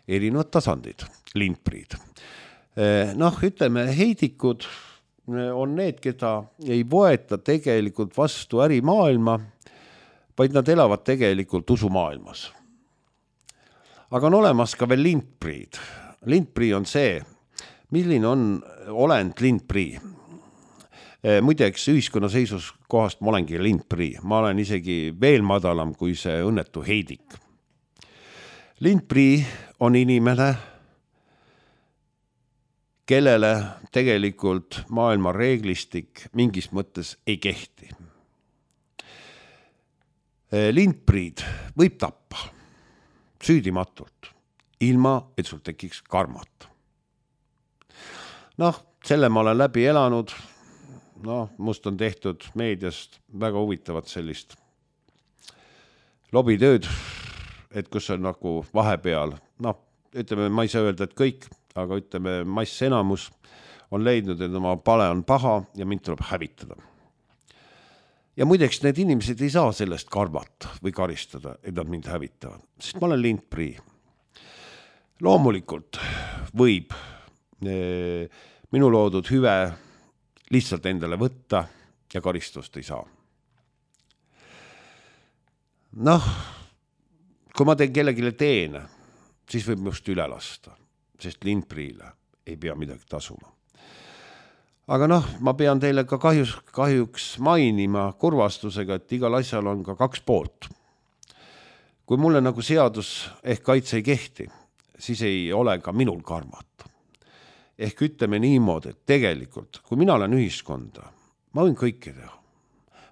erinevad tasandid, lindpriid. Ütleme, heidikud on need, keda ei võeta tegelikult vastu ärimaailma, vaid nad elavad tegelikult usumaailmas. Aga on olemas ka veel lindpriid. Lindprii on see, milline on olend lindprii. Muideks ühiskonna seisus kohast ma olengi lindprii. Ma olen isegi veel madalam kui see õnnetu heidik. Lindprii on inimene, kellele tegelikult maailma reeglistik mingis mõttes ei kehti. Lindpriid võib tappa süüdimatult, ilma et sul tekiks karmat. Selle ma olen läbi elanud. Must on tehtud meediast väga huvitavat sellist lobitööd, et kus on nagu vahepeal, ütleme, ma ei saa öelda, et kõik, aga ütleme, mass enamus on leidnud, et oma pale on paha ja mind tuleb hävitada. Ja muideks need inimesed ei saa sellest karvat või karistada, et nad mind hävitavad, sest ma olen lindprii. Loomulikult võib minu loodud hüve lihtsalt endale võtta ja karistust ei saa. Kui ma teen kellegile teene, siis võib minust üle lasta, sest lindpriile ei pea midagi tasuma. Aga ma pean teile ka kahjuks mainima kurvastusega, et igal asjal on ka 2 poolt. Kui mulle nagu seadus ehk kaitse ei kehti, siis ei ole ka minul karmat. Ehk ütleme niimoodi, et tegelikult, kui mina olen ühiskonda, ma võin kõike teha.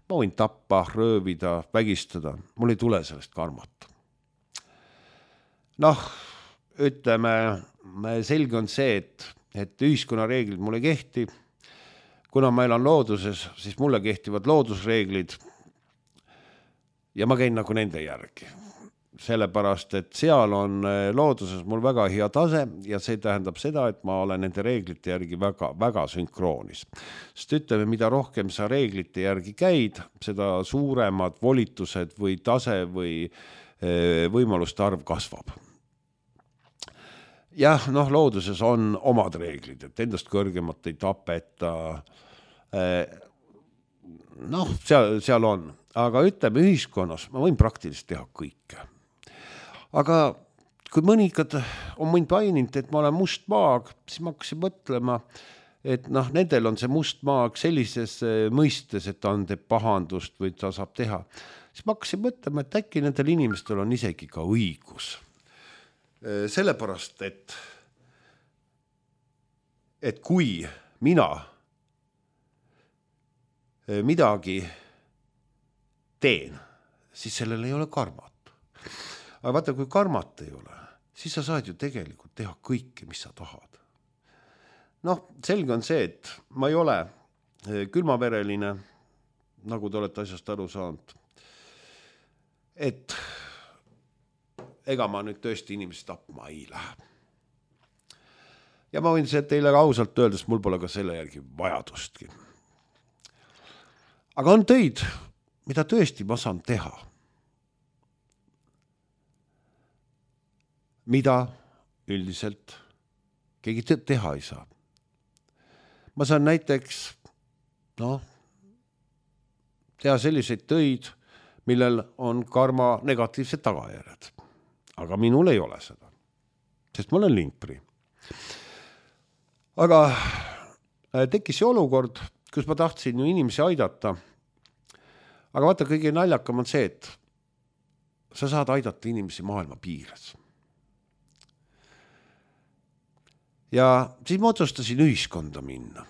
Ma võin tappa, röövida, vägistada, mul ei tule sellest karmat. Ütleme, selge on see, et ühiskonna reeglid mulle kehti. Kuna ma elan looduses, siis mulle kehtivad loodusreeglid ja ma käin nagu nende järgi. sellepärast, et seal on looduses mul väga hea tase ja see tähendab seda, et ma olen nende reeglite järgi väga, väga sünkroonis. Sest ütleme, mida rohkem sa reeglite järgi käid, seda suuremad volitused või tase või võimaluste arv kasvab. Jah, looduses on omad reeglid, et endast kõrgemat ei tapeta. Seal on. Aga ütleme ühiskonnas, ma võin praktiliselt teha kõike. Aga kui mõnikad on mind paininud, et ma olen must maag, siis ma hakkasin mõtlema, et nendel on see must maag sellises mõistes, et ta on teeb pahandust või ta saab teha. Siis ma hakkasin mõtlema, et äkki nendel inimestel on isegi ka õigus. Sellepärast, et kui mina midagi teen, siis sellel ei ole karmat. Aga vaata, kui karmat ei ole, siis sa saad ju tegelikult teha kõike, mis sa tahad. Selge on see, et ma ei ole külmavereline, nagu te olete asjast aru saanud. Et ega ma nüüd tõesti inimesi tapma ei lähe. Ja ma võin see teile ausalt öeldes, mul pole ka selle järgi vajadustki. Aga on töid, mida tõesti ma saan teha. Mida üldiselt keegi teha ei saa. Ma saan näiteks teha selliseid töid, millel on karma negatiivsed tagajärjed. Aga minul ei ole seda, sest ma olen lindprii. Aga tekkis see olukord, kus ma tahtsin ju inimesi aidata. Aga vaata, kõige naljakam on see, et sa saad aidata inimesi maailma piires. Ja siis ma otsustasin ühiskonda minna.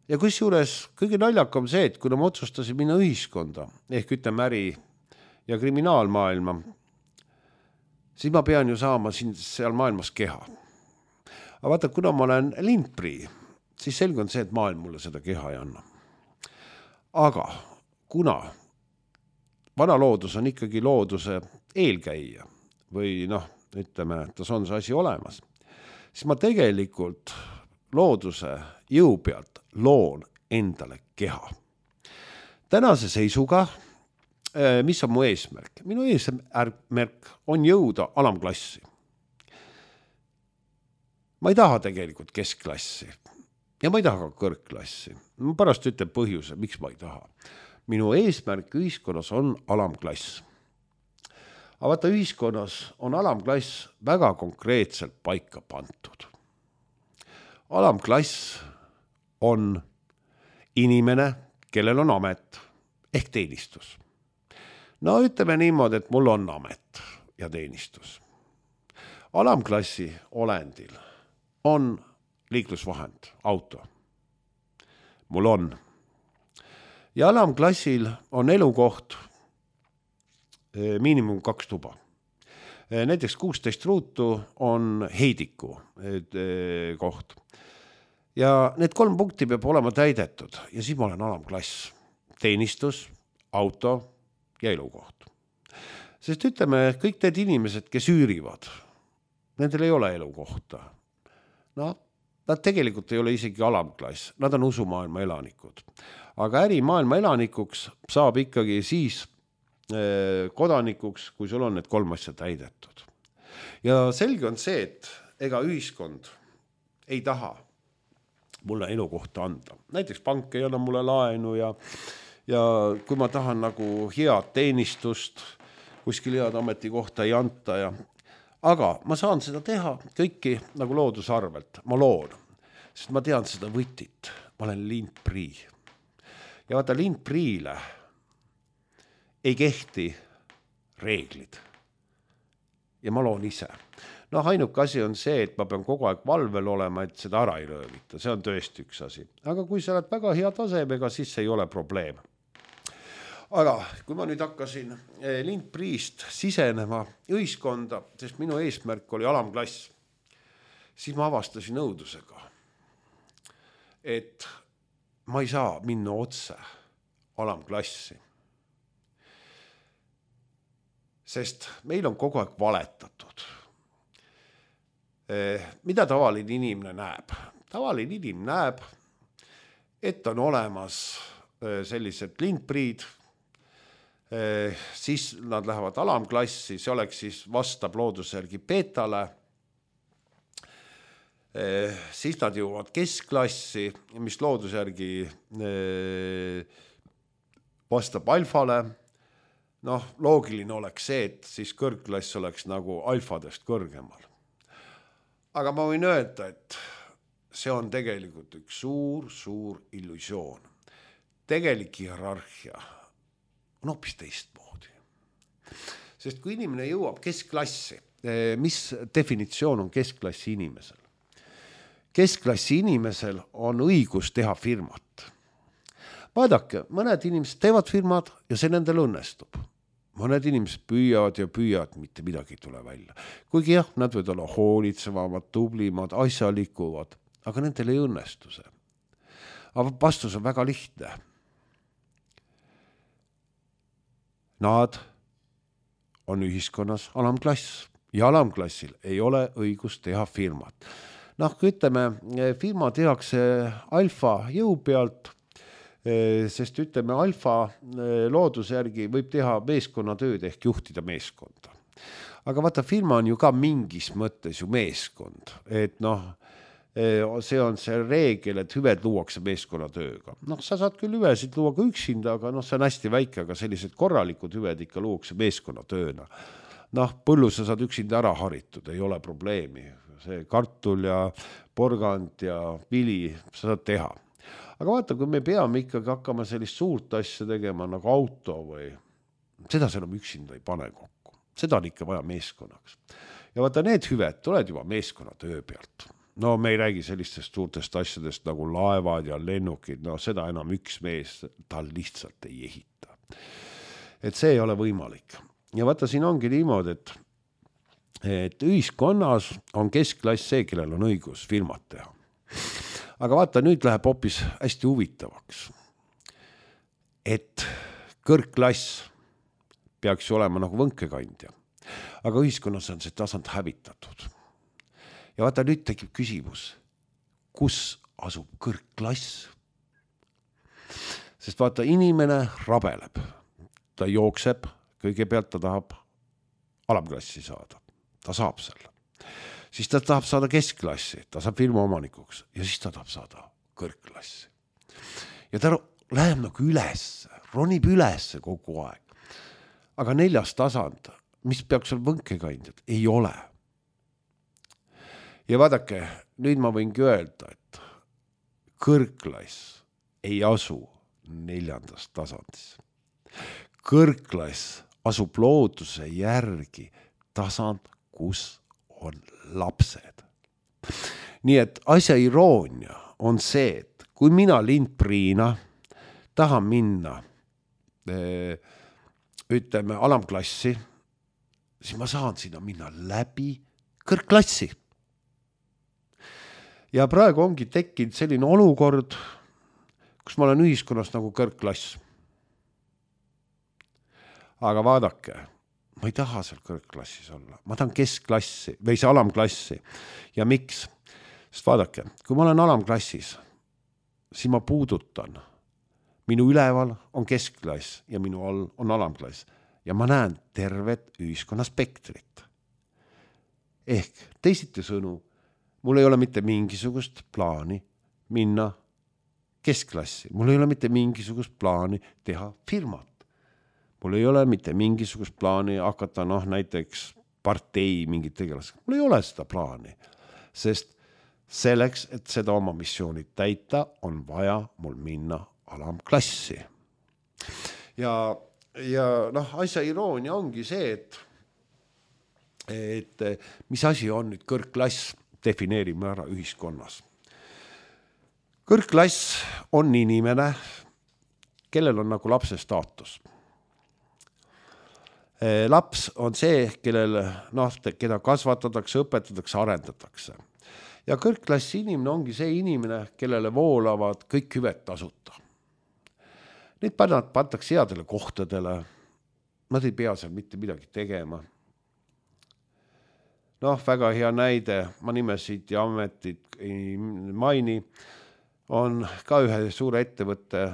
Ja kusjuures kõige naljakam see, et kuna ma otsustasin minna ühiskonda, ehk ütleme äri ja kriminaalmaailma, siis ma pean ju saama seal maailmas keha. Aga vaata, kuna ma olen lindprii, siis selge on see, et maailm mulle seda keha ei anna. Aga kuna vana loodus on ikkagi looduse eelkäija või ütleme, et on see asi olemas, siis ma tegelikult looduse jõu pealt loon endale keha. Tänase seisuga, mis on mu eesmärk? Minu eesmärk on jõuda alamklassi. Ma ei taha tegelikult keskklassi ja ma ei taha ka kõrgklassi. Ma pärast ütlen põhjuse, miks ma ei taha. Minu eesmärk ühiskonnas on alamklass. Aga vaata, ühiskonnas on alamklass väga konkreetselt paika pantud. Alamklass on inimene, kellel on amet ehk teenistus. Ütleme niimoodi, et mul on amet ja teenistus. Alamklassi olendil on liiklusvahend, auto. Mul on. Ja alamklassil on elukoht miinimum 2 tuba. Näiteks 16 ruutu on heidiku koht. Ja need 3 punkti peab olema täidetud ja siis ma olen alamklass. Teenistus, auto ja elukoht. Sest ütleme, kõik need inimesed, kes üürivad, nendel ei ole elukohta. Nad tegelikult ei ole isegi alamklass, nad on usumaailma elanikud. Aga ärimaailma elanikuks saab ikkagi siis kodanikuks, kui sul on need 3 asja täidetud. Ja selge on see, et ega ühiskond ei taha mulle elukohta anda. Näiteks pank ei anna mulle laenu ja kui ma tahan nagu head teenistust, kuskil head ametikohta ei anta aga ma saan seda teha kõiki nagu looduse arvelt. Ma loon, sest ma tean seda võtit. Ma olen lindprii. Ja vaata, lindpriile ei kehti reeglid. Ja ma loon ise. Ainuke asi on see, et ma pean kogu aeg valvel olema, et seda ära ei röövita. See on tõesti üks asi. Aga kui sa oled väga hea tasemega, siis see ei ole probleem. Aga kui ma nüüd hakkasin lindpriist sisenema ühiskonda, sest minu eesmärk oli alamklass, siis ma avastasin õudusega, et ma ei saa minna otse alamklassi. sest meil on kogu aeg valetatud. Mida tavaline inimene näeb? Tavaline inimene näeb, et on olemas sellised lindpriid, siis nad lähevad alamklassi, see oleks siis vastab looduse järgi beetale, siis nad jõuavad keskklassi, mis looduse järgi vastab alfale. Noh, loogiline oleks see, et siis kõrgklass oleks nagu alfadest kõrgemal. Aga ma võin öelda, et see on tegelikult üks suur illusioon. Tegelik hierarhia on hoopis teistmoodi. Sest kui inimene jõuab keskklassi, mis definitsioon on keskklassi inimesel? Keskklassi inimesel on õigus teha firmat. Vaadake, mõned inimesed teevad firmad ja see nendel õnnestub. Mõned inimesed püüavad, mitte midagi ei tule välja. Kuigi jah, nad võivad olla hoolitsevamad, tublimad, asjalikuvad, aga nendel ei õnnestu see. Aga vastus on väga lihtne. Nad on ühiskonnas alamklass ja alamklassil ei ole õigus teha firmat. Noh, kui ütleme, firma tehakse alfa jõu pealt, sest ütleme, alfa looduse järgi võib teha meeskonnatööd ehk juhtida meeskonda. Aga vaata, firma on ju ka mingis mõttes ju meeskond, et noh, see on see reegel, et hüved luuakse meeskonnatööga. Noh, sa saad küll hüvesid luua ka üksinda, aga noh, see on hästi väike, aga sellised korralikud hüved ikka luuakse meeskonnatööna. Noh, põllu sa saad üksinda ära haritud, ei ole probleemi. See kartul ja porgand ja vili sa saad teha. Aga vaata, kui me peame ikkagi hakkama sellist suurt asja tegema nagu auto või seda enam üksinda ei pane kokku. Seda on ikka vaja meeskonnaks. Ja vaata, need hüved tuled juba meeskonnatöö pealt. No me ei räägi sellistest suurtest asjadest nagu laevad ja lennukid, no seda enam üks mees tal lihtsalt ei ehita. Et see ei ole võimalik. Ja vaata, siin ongi niimoodi, et ühiskonnas on keskklass see, kellel on õigus firmat teha. Aga vaata, nüüd läheb hoopis hästi huvitavaks, et kõrgklass peaks ju olema nagu võnkekandja, aga ühiskonnas on see tasand hävitatud. Ja vaata, nüüd tekib küsimus, kus asub kõrgklass? Sest vaata, inimene rabeleb, ta jookseb, kõigepealt ta tahab alamklassi saada, ta saab selle. Siis ta tahab saada keskklassi, ta saab firma omanikuks ja siis ta tahab saada kõrgklassi. Ja ta läheb nagu üles, ronib üles kogu aeg. Aga 4. tasand, mis peaks olla võnkekandjad, ei ole. Ja vaadake, nüüd ma võingi öelda, et kõrgklass ei asu 4. tasandis. Kõrgklass asub looduse järgi tasand, kus on lapsed. Nii et asja iroonia on see, et kui mina lindpriina tahan minna ütleme alamklassi, siis ma saan sinna minna läbi kõrgklassi. Ja praegu ongi tekkinud selline olukord, kus ma olen ühiskonnas nagu kõrgklass. Aga vaadake, ma ei taha seal kõrgklassis olla. Ma tahan keskklassi või see alamklassi. Ja miks? Sest vaadake, kui ma olen alamklassis, siis ma puudutan. Minu üleval on keskklass ja minu all on alamklass. Ja ma näen tervet ühiskonna spektrit. Ehk teisiti sõnu, mul ei ole mitte mingisugust plaani minna keskklassi. Mul ei ole mitte mingisugust plaani teha firmat. Mul ei ole mitte mingisugust plaani hakata näiteks partei mingit tegelast. Mul ei ole seda plaani, sest selleks, et seda oma missioonit täita, on vaja mul minna alamklassi. Ja asja iroonia ongi see, et mis asi on nüüd kõrgklass, defineerime ära ühiskonnas. Kõrgklass on inimene, kellel on nagu lapse staatus. Laps on see, keda kasvatatakse, õpetatakse, arendatakse. Ja kõrgklassi inimene ongi see inimene, kellele voolavad kõik hüved tasuta. Neid pantakse headele kohtadele, nad ei pea seal mitte midagi tegema. Noh, väga hea näide, ma nimesid ja ametit ei maini, on ka ühe suure ettevõtte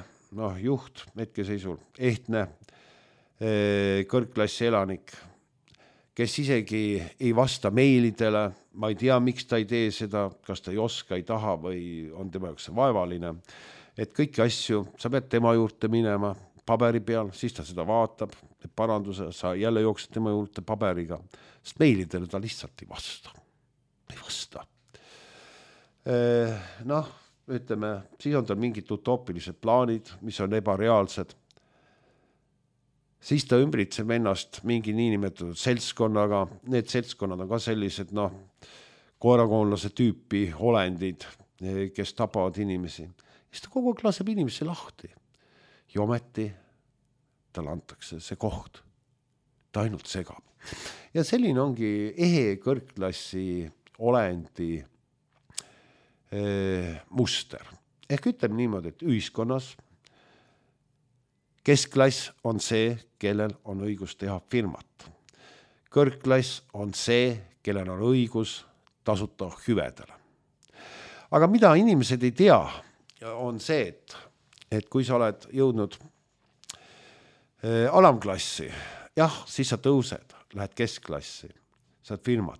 juht hetkeseisul, ehtne kõrgklassi elanik, kes isegi ei vasta meilidele, ma ei tea, miks ta ei tee seda, kas ta ei oska, ei taha või on tema jaoks vaevaline, et kõiki asju sa pead tema juurde minema paberi peal, siis ta seda vaatab, paranduse, sa jälle jooksed tema juurde paberiga, sest meilidele ta lihtsalt ei vasta. Ei vasta. Ütleme, siis on tal mingid utoopilised plaanid, mis on ebareaalsed. Siis ta ümbritseb ennast mingi niinimetatud seltskonnaga, need seltskonnad on ka sellised, koerakoonlase tüüpi olendid, kes tapavad inimesi. Siis ta kogu aeg laseb inimesi lahti. Ja ometi talle antakse see koht. Ta ainult segab. Ja selline ongi ehe kõrgklassi olendi muster. Ehk ütleme niimoodi, et ühiskonnas keskklass on see, kellel on õigus teha firmat. Kõrgklass on see, kellel on õigus tasuta hüvedele. Aga mida inimesed ei tea, on see, et kui sa oled jõudnud alamklassi, jah, siis sa tõused, lähed keskklassi, saad firmat.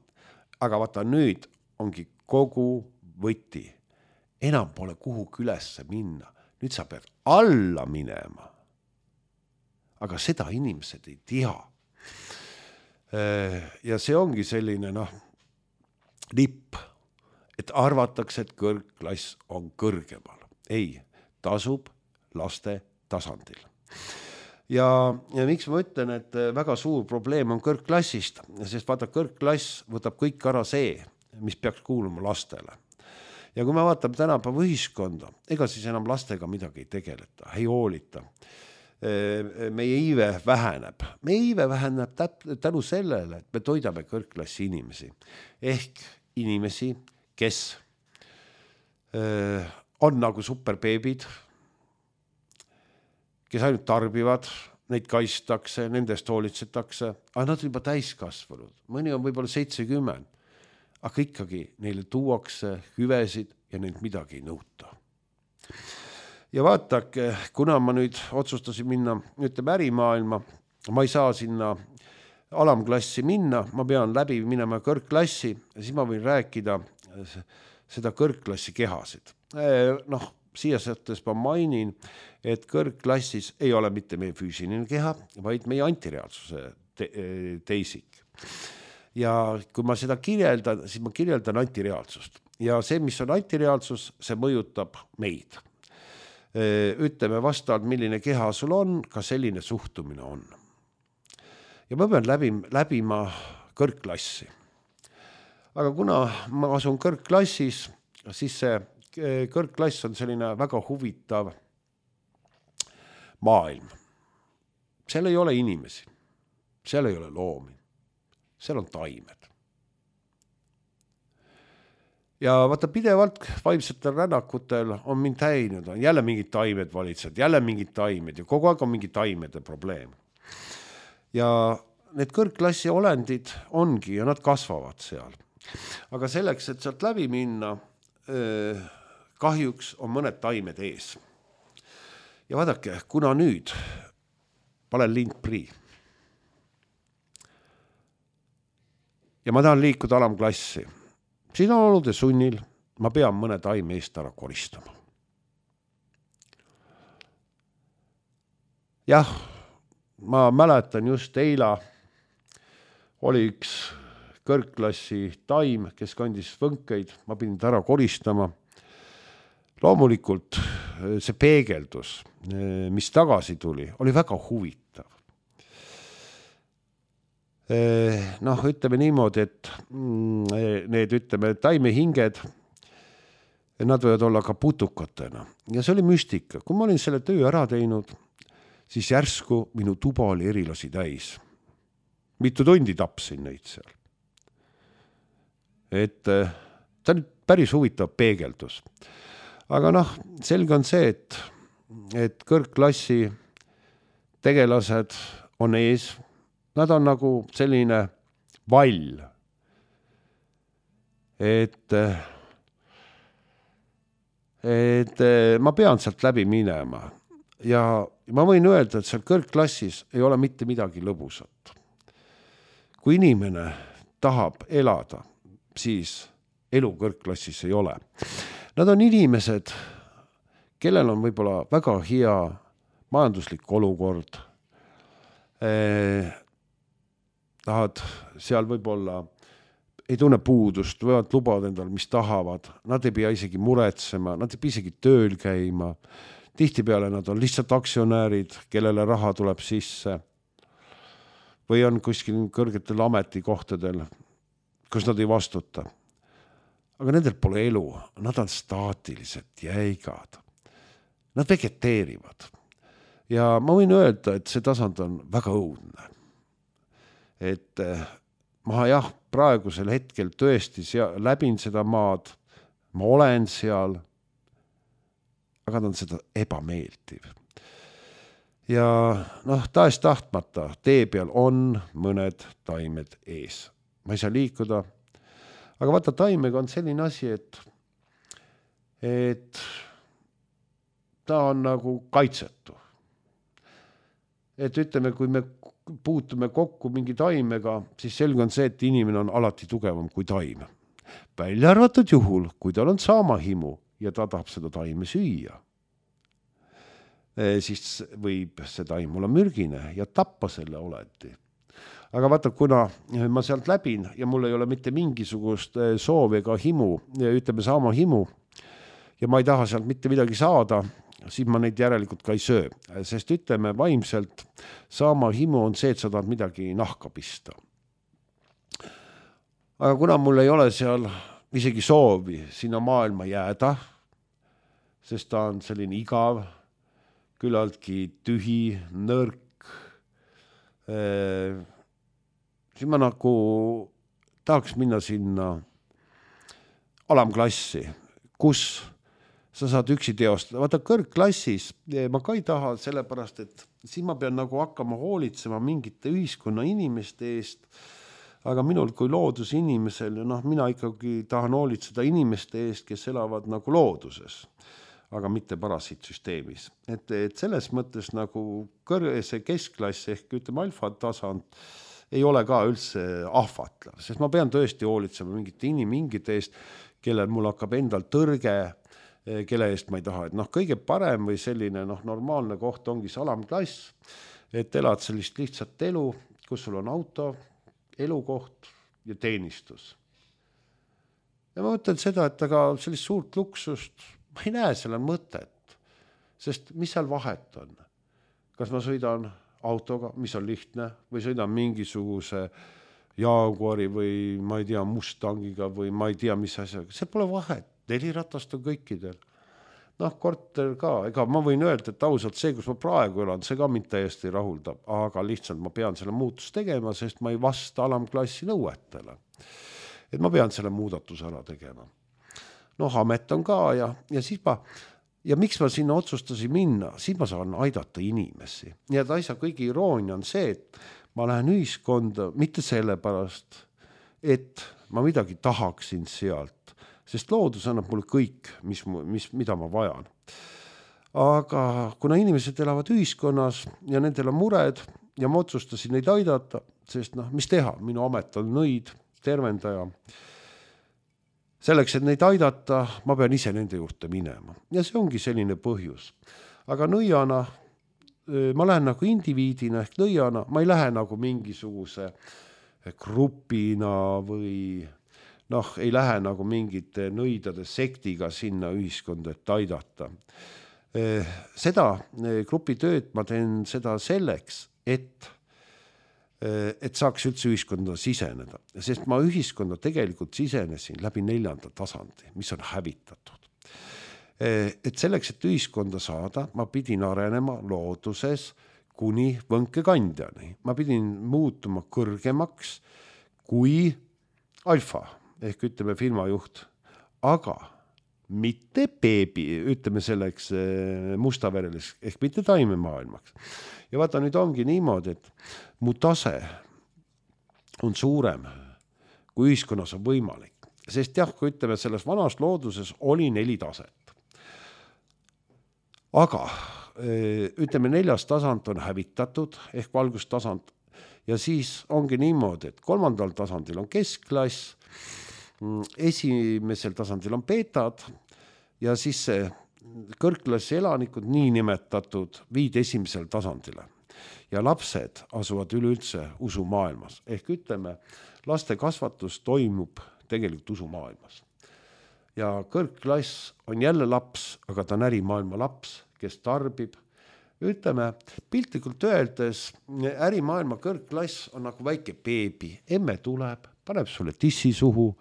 Aga vaata, nüüd ongi kogu võti. Enam pole kuhugi ülesse minna. Nüüd sa pead alla minema. Aga seda inimesed ei tea. Ja see ongi selline, lipp, et arvatakse, et kõrgklass on kõrgemal. Ei, tasub laste tasandil. Ja miks ma ütlen, et väga suur probleem on kõrgklassist, sest vaata, kõrgklass võtab kõik ära see, mis peaks kuuluma lastele. Ja kui me vaatame tänapäeva ühiskonda, ega siis enam lastega midagi ei tegeleta, ei hoolita. Meie iive väheneb. Meie iive väheneb tänu sellele, et me toidame kõrgklassi inimesi. Ehk inimesi, kes on nagu superbeebid, kes ainult tarbivad, neid kaistakse, nendest hoolitsetakse, aga nad on juba täiskasvanud. Mõni on võib-olla 70, aga ikkagi neile tuuakse hüvesid ja neilt midagi ei nõuta. Ja vaatake, kuna ma nüüd otsustasin minna, ütleme ärimaailma, ma ei saa sinna alamklassi minna, ma pean läbi minema kõrgklassi ja siis ma võin rääkida seda kõrgklassi kehasid. Siia sättes ma mainin, et kõrgklassis ei ole mitte meie füüsiline keha, vaid meie antireaalsuse teisik. Ja kui ma seda kirjeldan, siis ma kirjeldan antireaalsust. Ja see, mis on antireaalsus, see mõjutab meid. Ütleme vastavalt, milline keha sul on, ka selline suhtumine on. Ja ma pean läbima kõrgklassi. Aga kuna ma asun kõrgklassis, siis see kõrgklass on selline väga huvitav maailm. Seal ei ole inimesi, seal ei ole loomi, seal on taimed. Ja vaata, pidevalt vaimsetel rännakutel on mind häinud, on jälle mingid taimed valitsed, jälle mingid taimed ja kogu aeg on mingi taimede probleem. Ja need kõrgklassi olendid ongi ja nad kasvavad seal. Aga selleks, et sealt läbi minna, kahjuks on mõned taimed ees. Ja vaadake, kuna nüüd panen lindprii ja ma tahan liikuda alamklassi, siin on olude sunnil, ma pean mõne taime eest ära koristama. Jah, ma mäletan just eila oli üks kõrgklassi taim, kes kandis võnkeid, ma pidin ta ära koristama. Loomulikult see peegeldus, mis tagasi tuli, oli väga huvitav. Ütleme niimoodi, et need taimehinged, nad võivad olla ka putukatena. Ja see oli müstika. Kui ma olin selle töö ära teinud, siis järsku minu tuba oli erilasi täis. Mitu tundi tapsin neid seal. Et ta on päris huvitav peegeldus. Aga selge on see, et kõrgklassi tegelased on ees, nad on nagu selline vall, et ma pean sealt läbi minema ja ma võin öelda, et seal kõrgklassis ei ole mitte midagi lõbusat. Kui inimene tahab elada, siis elu kõrgklassis ei ole. Nad on inimesed, kellel on võib-olla väga hea majanduslik olukord, tahad seal võib-olla ei tunne puudust, võivad lubada endale, mis tahavad, nad ei pea isegi muretsema, nad ei pea isegi tööl käima, tihtipeale nad on lihtsalt aktsionäärid, kellele raha tuleb sisse või on kuskil kõrgetel ametikohtadel, kus nad ei vastuta. Aga nendel pole elu, nad on staatilised, jäigad, nad vegeteerivad. Ja ma võin öelda, et see tasand on väga õudne. Et ma jah, praegusel hetkel tõesti läbin seda maad, ma olen seal, aga ta on seda ebameeldiv. Ja tahes tahtmata tee peal on mõned taimed ees. Ma ei saa liikuda, aga vaata, taimega on selline asi, et ta on nagu kaitsetu. Et ütleme, kui me puutume kokku mingi taimega, siis selge on see, et inimene on alati tugevam kui taim. Välja arvatud juhul, kui tal on saamahimu ja ta tahab seda taime süüa, siis võib see taim olla mürgine ja tappa selle oleti. Aga vaata, kuna ma sealt läbin ja mul ei ole mitte mingisugust soovi ega himu, ütleme saamahimu, ja ma ei taha sealt mitte midagi saada, siis ma neid järelikult ka ei söö. Sest ütleme, vaimselt saamahimu on see, et sa tahad midagi nahka pista. Aga kuna mul ei ole seal isegi soovi sinna maailma jääda, sest ta on selline igav, küllaltki tühi, nõrk, siis ma nagu tahaks minna sinna alamklassi, kus sa saad üksi teostada. Vaata, kõrgklassis ma ka ei taha, sellepärast, et siis ma pean nagu hakkama hoolitsema mingite ühiskonna inimeste eest, aga minul kui loodusinimesel, mina ikkagi tahan hoolitseda inimeste eest, kes elavad nagu looduses, aga mitte parasiitsüsteemis. Et selles mõttes nagu see keskklass ehk ütleme alfa tasand ei ole ka üldse ahvatlev, sest ma pean tõesti hoolitsema mingite inimingite eest, kellel mul hakkab endal tõrge, kelle eest ma ei taha. Et kõige parem või selline normaalne koht ongi see alamklass, et elad sellist lihtsat elu, kus sul on auto, elukoht ja teenistus. Ja ma mõtlen seda, et aga sellist suurt luksust ma ei näe selle mõtet, sest mis seal vahet on? Kas ma sõidan autoga, mis on lihtne, või sõidan mingisuguse Jaguari või ma ei tea Mustangiga või ma ei tea mis asjaga, see pole vahet. 4 ratast on kõikidel. Korter ka, ega ma võin öelda, et ausalt see, kus ma praegu elan, see ka mind täiesti rahuldab, aga lihtsalt ma pean selle muutust tegema, sest ma ei vasta alamklassi nõuetele. Et ma pean selle muudatuse ära tegema. Amet on ka ja siis ja miks ma sinna otsustasin minna, siis ma saan aidata inimesi. Ja asja kõige iroonia on see, et ma lähen ühiskonda mitte sellepärast, et ma midagi tahaksin sealt, sest loodus annab mulle kõik, mida ma vajan. Aga kuna inimesed elavad ühiskonnas ja nendel on mured ja ma otsustasin neid aidata, sest mis teha, minu amet on nõid, tervendaja. Selleks, et neid aidata, ma pean ise nende juurde minema. Ja see ongi selline põhjus. Aga nõiana, ma lähen nagu indiviidina ehk nõiana, ma ei lähe nagu mingisuguse grupina või ei lähe nagu mingite nõidade sektiga sinna ühiskonda, et aidata. Seda grupitööd ma teen seda selleks, et saaks üldse ühiskonda siseneda. Sest ma ühiskonda tegelikult sisenesin läbi 4. tasandi, mis on hävitatud. Et selleks, et ühiskonda saada, ma pidin arenema looduses kuni võnkekandjani. Ma pidin muutuma kõrgemaks kui alfa ehk ütleme firmajuht, aga mitte beebi, ütleme selleks mustaverelis, ehk mitte taimemaailmaks. Ja vaata, nüüd ongi niimoodi, et mu tase on suurem, kui ühiskonnas on võimalik. Sest jah, kui ütleme, selles vanas looduses oli 4 taset. Aga ütleme, 4. tasand on hävitatud, ehk valgustasand, ja siis ongi niimoodi, et 3. tasandil on keskklass, 1. tasandil on beetad ja siis see kõrgklassi elanikud niinimetatud viid 1. tasandile. Ja lapsed asuvad üleüldse usumaailmas. Ehk ütleme, laste kasvatus toimub tegelikult usumaailmas. Ja kõrgklass on jälle laps, aga ta on ärimaailma laps, kes tarbib. Ütleme, piltlikult öeldes, ärimaailma kõrgklass on nagu väike beebi. Emme tuleb, paneb sulle tissi suhu,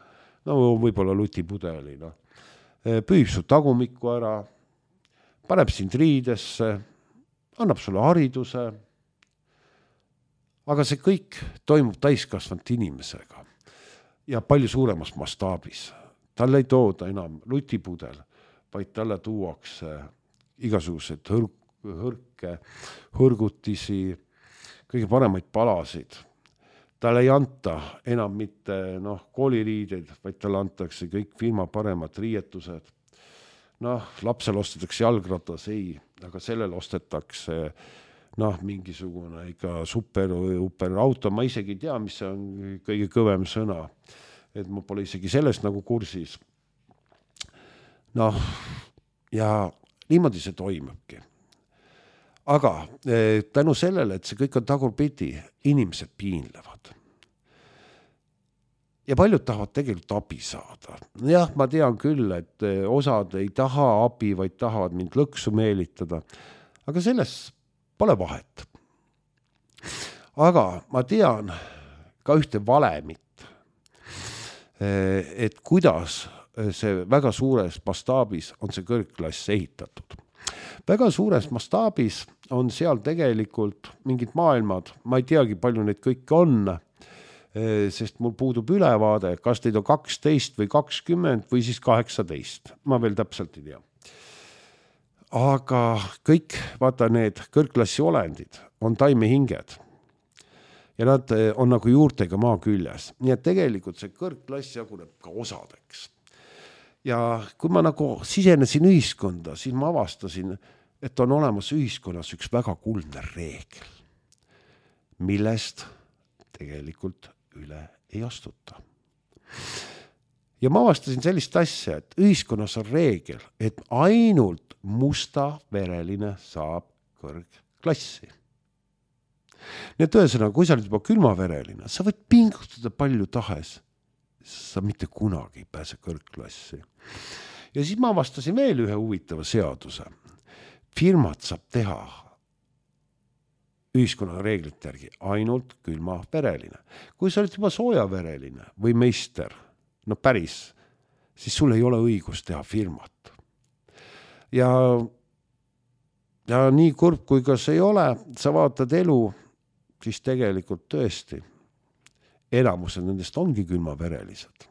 no võib-olla lutipudeli, püüb su tagumikku ära, paneb sind riidesse, annab sulle hariduse, aga see kõik toimub täiskasvanud inimesega ja palju suuremas mastaabis. Talle ei tooda enam lutipudel, vaid talle tuuakse igasugused hõrgutisi, kõige paremaid palasid. Talle ei anta enam mitte kooliriideid, vaid talle antakse kõik firma paremad riietused. Lapsel ostetakse jalgratas, ei, aga sellel ostetakse mingisugune ikka super auto. Ma isegi ei tea, mis see on kõige kõvem sõna. Et ma pole isegi sellest nagu kursis. Ja niimoodi see toimubki. Aga tänu sellele, et see kõik on tagurpidi, inimesed piinlevad. Ja paljud tahavad tegelikult abi saada. Jah, ma tean küll, et osad ei taha abi, vaid tahavad mind lõksu meelitada. Aga selles pole vahet. Aga ma tean ka ühte valemit, et kuidas see väga suures mastaabis on see kõrgklass ehitatud. Väga suures mastaabis on seal tegelikult mingid maailmad, ma ei teagi, palju neid kõik on, sest mul puudub ülevaade, kas neid on 12 või 20 või siis 18. Ma veel täpselt ei tea. Aga kõik, vaata, need kõrgklassi olendid on taimehinged ja nad on nagu juurtega maa küljes. Nii et tegelikult see kõrgklass jaguneb ka osadeks. Ja kui ma nagu sisenesin ühiskonda, siis ma avastasin, et on olemas ühiskonnas üks väga kuldne reegel, millest tegelikult üle ei astuta. Ja ma avastasin sellist asja, et ühiskonnas on reegel, et ainult mustavereline saab kõrgklassi. Nii et ühesõnaga, kui sa oled juba külmavereline, sa võid pingutada palju tahes, sa mitte kunagi ei pääse kõrgklassi. Ja siis ma avastasin veel ühe huvitava seaduse. Firmad saab teha ühiskonna reeglite järgi ainult külmavereline. Kui sa oled juba soojavereline või meister, päris, siis sul ei ole õigus teha firmat. Ja nii kurb, kui ka see ei ole, sa vaatad elu, siis tegelikult tõesti enamused nendest ongi külmaverelised.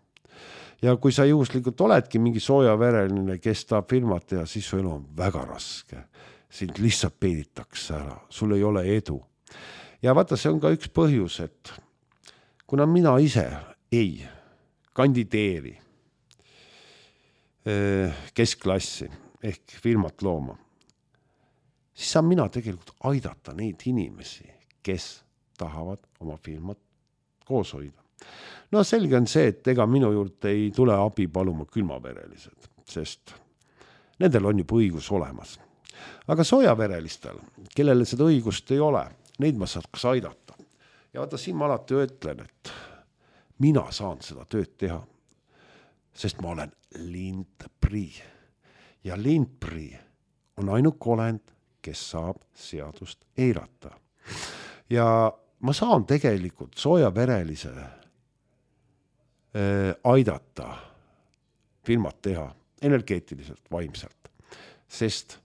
Ja kui sa juhuslikult oledki mingi soojavereline, kes tahab firmat teha, siis su elu on väga raske. Sind lihtsalt peiditakse ära, sul ei ole edu. Ja vaata, see on ka üks põhjus, et kuna mina ise ei kandideeri keskklassi ehk firmat looma, siis saan mina tegelikult aidata neid inimesi, kes tahavad oma firmat koos hoida. Selge on see, et ega minu juurde ei tule abi paluma külmaverelised, sest nendel on juba õigus olemas. Aga soojaverelistel, kellele seda õigust ei ole, neid ma saaks aidata. Ja vaata, siin ma alati ütlen, et mina saan seda tööd teha, sest ma olen lindprii. Ja lindprii on ainuk olend, kes saab seadust eirata. Ja ma saan tegelikult soojaverelise aidata firmat teha energeetiliselt, vaimselt, sest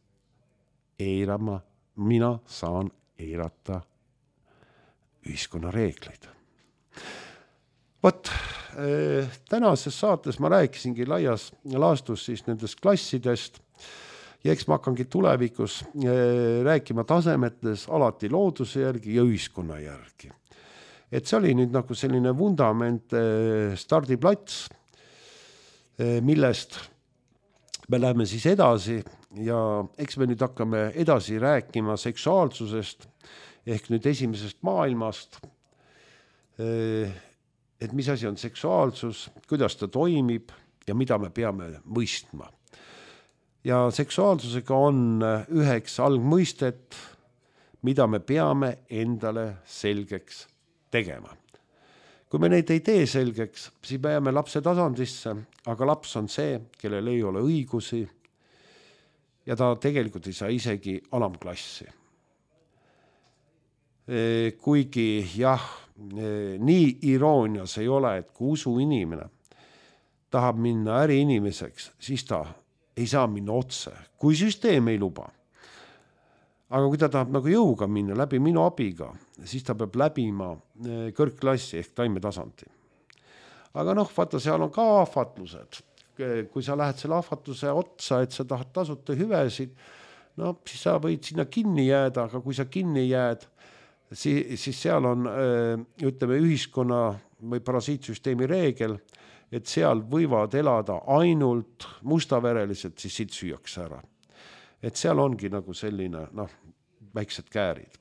mina saan eirata ühiskonna reegleid. Võt, tänases saates ma rääkisingi laias laastus siis nendest klassidest ja eks ma hakkangi tulevikus rääkima tasemetes alati looduse järgi ja ühiskonna järgi. Et see oli nüüd nagu selline vundament stardiplats, millest me läheme siis edasi ja eks me nüüd hakkame edasi rääkima seksuaalsusest ehk nüüd esimesest maailmast, et mis asi on seksuaalsus, kuidas ta toimib ja mida me peame mõistma. Ja seksuaalsusega on üheks algmõistet, mida me peame endale selgeks tegema. Kui me neid ei tee selgeks, siis me jääme lapse tasandisse, aga laps on see, kellel ei ole õigusi ja ta tegelikult ei saa isegi alamklassi. Kuigi jah, nii iroonias ei ole, et kui usu inimene tahab minna äriinimeseks, siis ta ei saa minna otse, kui süsteem ei luba. Aga kui ta tahab nagu jõuga minna läbi minu abiga, siis ta peab läbima kõrgklassi ehk taimetasandi. Aga vaata, seal on ka ahvatlused. Kui sa lähed selle ahvatluse otsa, et sa tahad tasuta hüvesid, siis sa võid sinna kinni jääda, aga kui sa kinni jääd, siis seal on, ütleme, ühiskonna või parasiitsüsteemi reegel, et seal võivad elada ainult mustaverelised, siis siit süüakse ära. Et seal ongi nagu selline, väiksed käärid.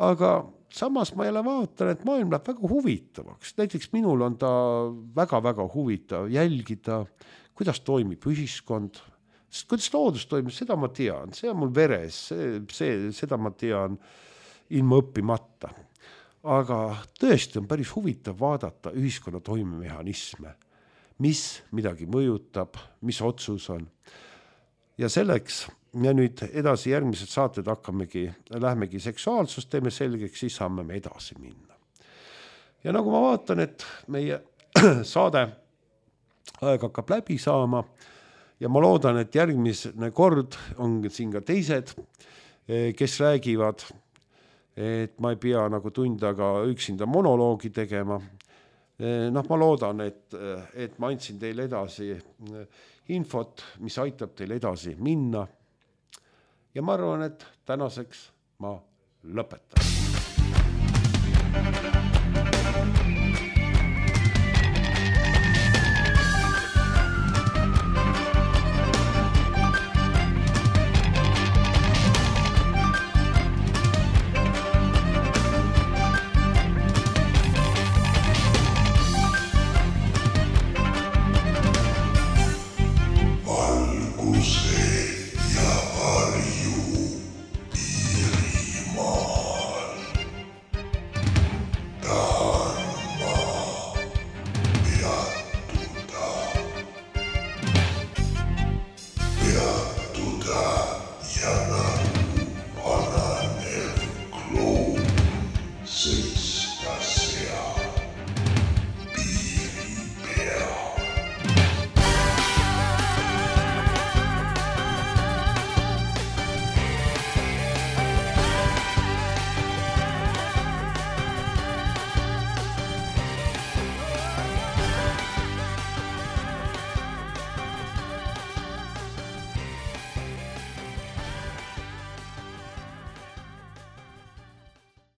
Aga samas ma jälle vaatan, et maailm läheb väga huvitavaks. Näiteks minul on ta väga-väga huvitav jälgida, kuidas toimib ühiskond. Sest kuidas loodus toimib, seda ma tean. See on mul veres, seda ma tean ilma õppimata. Aga tõesti on päris huvitav vaadata ühiskonna toimemehhanisme, mis midagi mõjutab, mis otsus on. Ja selleks me nüüd edasi järgmised saated lähmegi seksuaalsust, teeme selgeks, siis saame me edasi minna. Ja nagu ma vaatan, et meie saade aeg hakkab läbi saama ja ma loodan, et järgmine kord on siin ka teised, kes räägivad, et ma ei pea nagu tund aega üksinda monoloogi tegema. Ma loodan, et ma andsin teile edasi infot, mis aitab teil edasi minna. Ja ma arvan, et tänaseks ma lõpetan. Six.